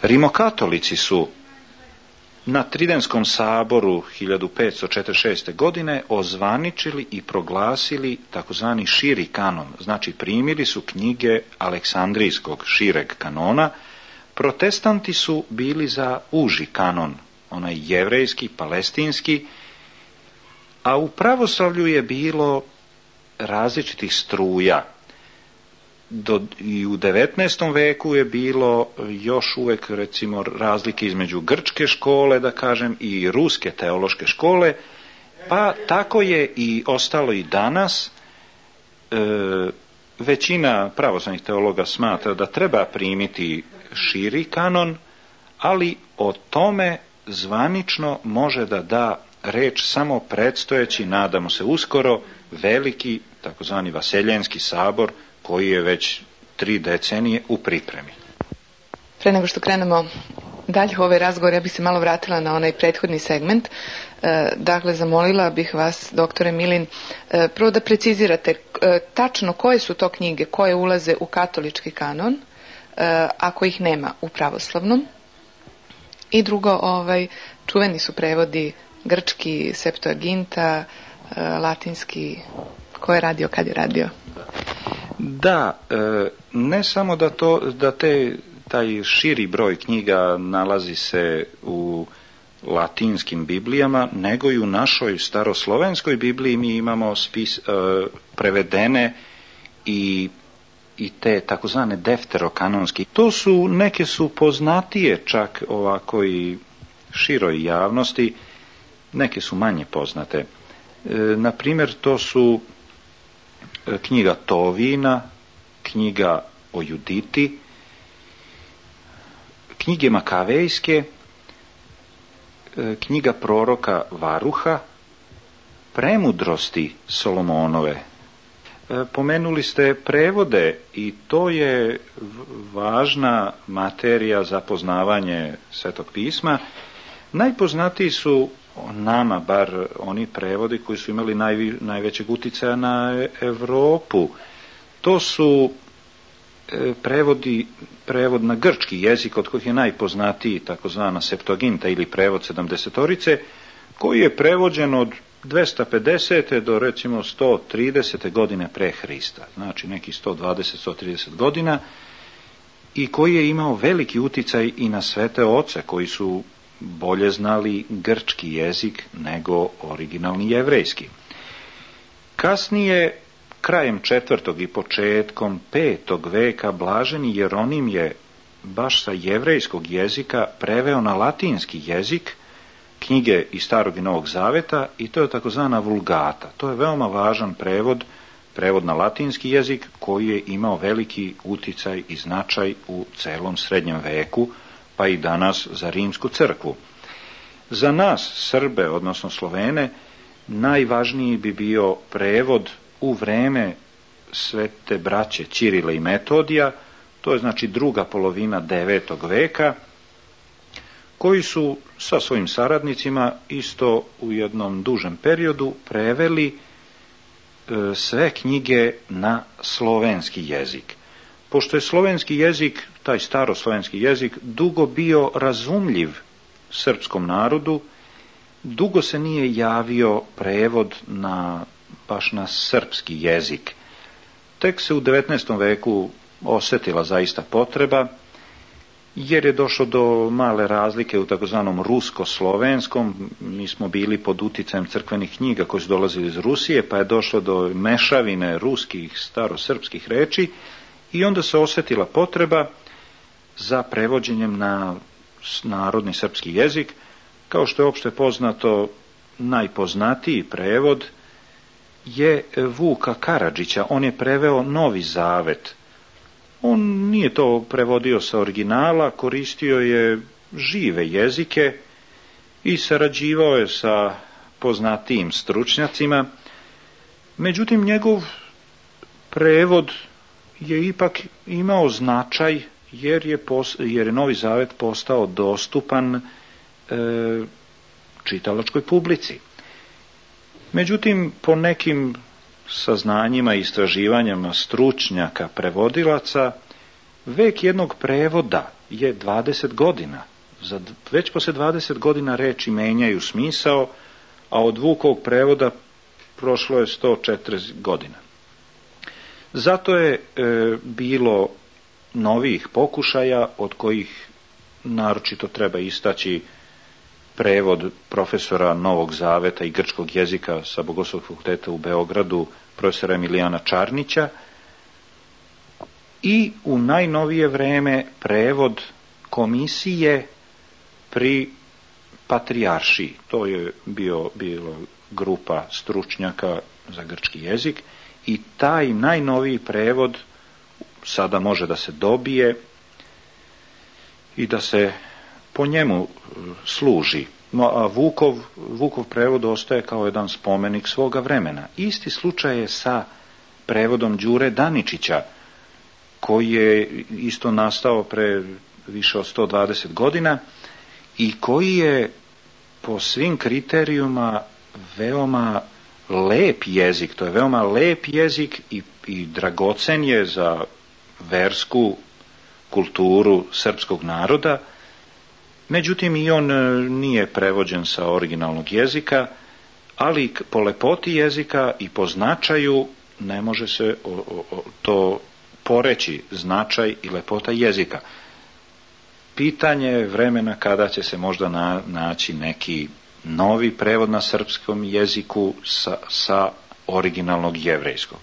Rimokatolici su na Tridenskom saboru hiljadu petsto četrdeset šeste. godine ozvaničili i proglasili takozvani širi kanon, znači primili su knjige Aleksandrijskog šireg kanona. Protestanti su bili za uži kanon, onaj jevrejski, palestinski, a u pravoslavlju je bilo različitih struja. Do, i u devetnaestom veku je bilo još uvijek recimo razlike između grčke škole, da kažem, i ruske teološke škole, pa tako je i ostalo i danas. E, većina pravoslavnih teologa smatra da treba primiti širi kanon, ali o tome zvanično može da da reč samo predstojeći, nadamo se uskoro, veliki takozvani Vaseljenski sabor, koji je već tri decenije u pripremi. Pre nego što krenemo dalje u ovaj razgovor, ja bih se malo vratila na onaj prethodni segment. E, dakle, zamolila bih vas, doktore Milin, e, prvo da precizirate e, tačno koje su to knjige koje ulaze u katolički kanon, e, ako ih nema u pravoslavnom. I drugo, ovaj, čuveni su prevodi grčki, Septuaginta, e, latinski, ko je radio, kad je radio? Da, ne samo da, to, da te, taj širi broj knjiga nalazi se u latinskim biblijama, nego i u našoj staroslovenskoj Bibliji mi imamo spis, prevedene i, i te takozvane defterokanonski. To su, neke su poznatije čak ovako i široj javnosti, neke su manje poznate. Na primjer, to su knjiga Tovina, knjiga o Juditi knjige Makavejske, knjiga proroka Varuha, Premudrosti Solomonove. Pomenuli ste prevode i to je važna materija za poznavanje Svetog pisma. Najpoznatiji su nama, bar oni prevodi koji su imali najvi, najvećeg uticaja na Europu. To su prevodi, prevod na grčki jezik, od kojih je najpoznatiji takozvana Septuaginta ili prevod sedamdesetorice, koji je prevođen od dvesta pedesete do recimo sto tridesete godine pre Hrista, znači neki sto dvadeset do sto trideset godina, i koji je imao veliki uticaj i na svete oce koji su bolje znali grčki jezik nego originalni jevrejski. Kasnije, krajem četvrtog i početkom petog veka, blaženi Jeronim je baš sa jevrejskog jezika preveo na latinski jezik knjige iz Starog i Novog Zaveta, i to je takozvana Vulgata. To je veoma važan prevod, prevod na latinski jezik koji je imao veliki uticaj i značaj u celom srednjem veku, pa i danas za rimsku crkvu. Za nas, Srbe, odnosno Slovene, najvažniji bi bio prevod u vreme svete braće Ćirila i Metodija, to je znači druga polovina devetog veka, koji su sa svojim saradnicima isto u jednom dužem periodu preveli e, sve knjige na slovenski jezik. Pošto je slovenski jezik, taj staroslovenski jezik, dugo bio razumljiv srpskom narodu, dugo se nije javio prevod na, baš na srpski jezik. Tek se u devetnaestom veku osetila zaista potreba, jer je došlo do male razlike u takozvanom rusko-slovenskom. Mi smo bili pod uticajem crkvenih knjiga koji su dolazili iz Rusije, pa je došlo do mešavine ruskih starosrpskih reči i onda se osetila potreba za prevođenjem na narodni srpski jezik. Kao što je opšte poznato, najpoznatiji prevod je Vuka Karadžića. On je preveo Novi Zavet. On nije to prevodio sa originala, koristio je žive jezike i sarađivao je sa poznatijim stručnjacima. Međutim, njegov prevod je ipak imao značaj jer je, pos, jer je Novi Zavet postao dostupan e, čitalačkoj publici. Međutim, po nekim saznanjima i istraživanjima stručnjaka, prevodilaca, vek jednog prevoda je dvadeset godina. Za, već posle dvadeset godina reči menjaju smisao, a od Vukovog prevoda prošlo je sto četrdeset godina. Zato je e, bilo novih pokušaja, od kojih naročito treba istaći prevod profesora Novog Zaveta i grčkog jezika sa Bogoslovskog fakulteta u Beogradu, profesora Emilijana Čarnića, i u najnovije vreme prevod komisije pri patrijaršiji. To je bio, bilo grupa stručnjaka za grčki jezik, i taj najnoviji prevod sada može da se dobije i da se po njemu služi. No, a Vukov, Vukov prevod ostaje kao jedan spomenik svoga vremena. Isti slučaj je sa prevodom Đure Daničića, koji je isto nastao pre više od sto dvadeset godina i koji je po svim kriterijuma veoma lep jezik. To je veoma lep jezik i, i dragocen je za versku kulturu srpskog naroda. Međutim, i on nije prevođen sa originalnog jezika, ali po lepoti jezika i po značaju ne može se o, o, to poreći, značaj i lepota jezika. Pitanje je vremena kada će se možda na, naći neki novi prevod na srpskom jeziku sa, sa originalnog jevrejskog.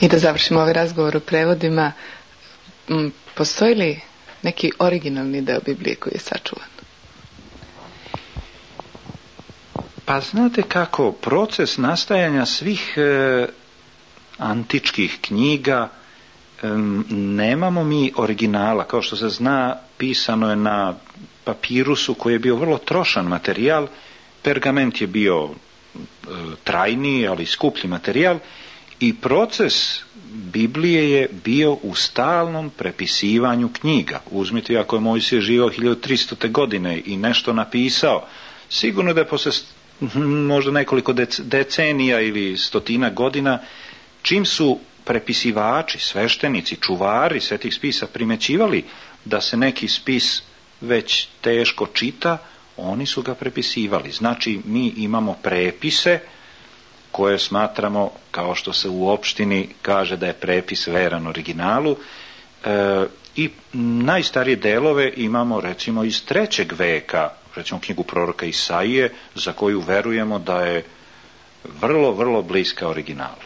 I da završimo ovaj razgovor o prevodima, postoji li neki originalni deo Biblije koji je sačuvan? Pa znate kako, proces nastajanja svih e, antičkih knjiga, e, nemamo mi originala. Kao što se zna, pisano je na papirusu koji je bio vrlo trošan materijal, pergament je bio e, trajniji, ali skuplji materijal, i proces Biblije je bio u stalnom prepisivanju knjiga. Uzmite, ako je Mojsije živio hiljadu tristote godine i nešto napisao, sigurno da je posle možda nekoliko decenija ili stotina godina, čim su prepisivači, sveštenici, čuvari svetih spisa primećivali da se neki spis već teško čita, oni su ga prepisivali. Znači, mi imamo prepise koje smatramo, kao što se u opštini kaže da je prepis veran originalu, e, i najstarije delove imamo recimo iz trećeg veka, recimo knjigu proroka Isaije, za koju verujemo da je vrlo, vrlo bliska originalu.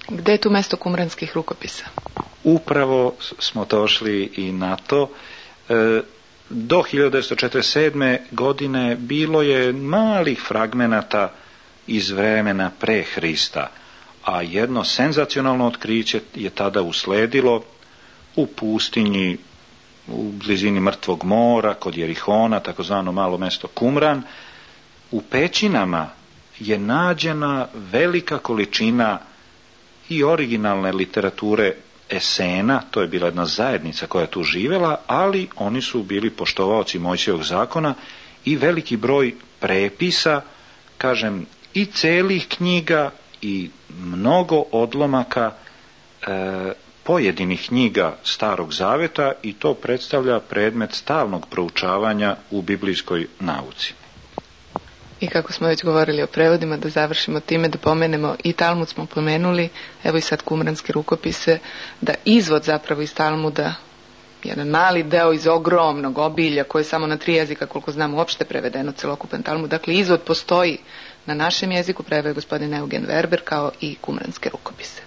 Gde je tu mesto kumranskih rukopisa? Upravo smo došli i na to. E, do hiljadu devetsto četrdeset sedme. godine bilo je malih fragmenata iz vremena pre Hrista, a jedno senzacionalno otkriće je tada usledilo u pustinji u blizini Mrtvog mora, kod Jerihona, takozvano malo mesto Kumran. U pećinama je nađena velika količina i originalne literature Esena, to je bila jedna zajednica koja je tu živjela, ali oni su bili poštovaoci Mojsijevog zakona, i veliki broj prepisa, kažem, i celih knjiga i mnogo odlomaka e, pojedinih knjiga Starog Zaveta, i to predstavlja predmet stalnog proučavanja u biblijskoj nauci. I kako smo već govorili o prevodima, da završimo time, da pomenemo i Talmud smo pomenuli, evo i sad kumranske rukopise, da izvod zapravo iz Talmuda, jedan mali deo iz ogromnog obilja koje je samo na tri jezika, koliko znam, uopšte prevedeno celokupan Talmud. Dakle, izvod postoji na našem jeziku, preveo je gospodin Eugen Verber, kao i kumranske rukopise.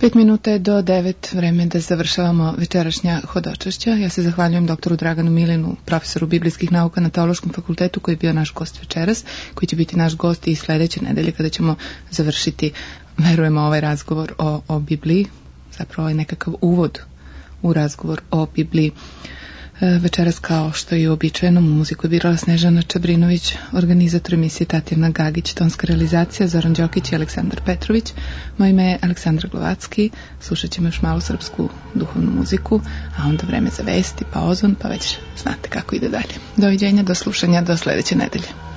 Pet minuta je do devet, vreme da završavamo večerašnja hodočašća. Ja se zahvaljujem doktoru Draganu Milinu, profesoru biblijskih nauka na Teološkom fakultetu, koji je bio naš gost večeras, koji će biti naš gost i sledeće nedelje kada ćemo završiti, verujemo, ovaj razgovor o, o Bibliji, zapravo ovaj nekakav uvod u razgovor o Bibliji. Večeras, kao što je uobičajeno, muziku je birala Snežana Čabrinović, organizator emisije Tatjana Gagić, tonska realizacija Zoran Đokić i Aleksandar Petrović. Moje ime je Aleksandra Glovacki, slušat ćemo još malo srpsku duhovnu muziku, a onda vreme za vesti, pa ozon, pa već znate kako ide dalje. Doviđenja, do slušanja, do sledeće nedelje.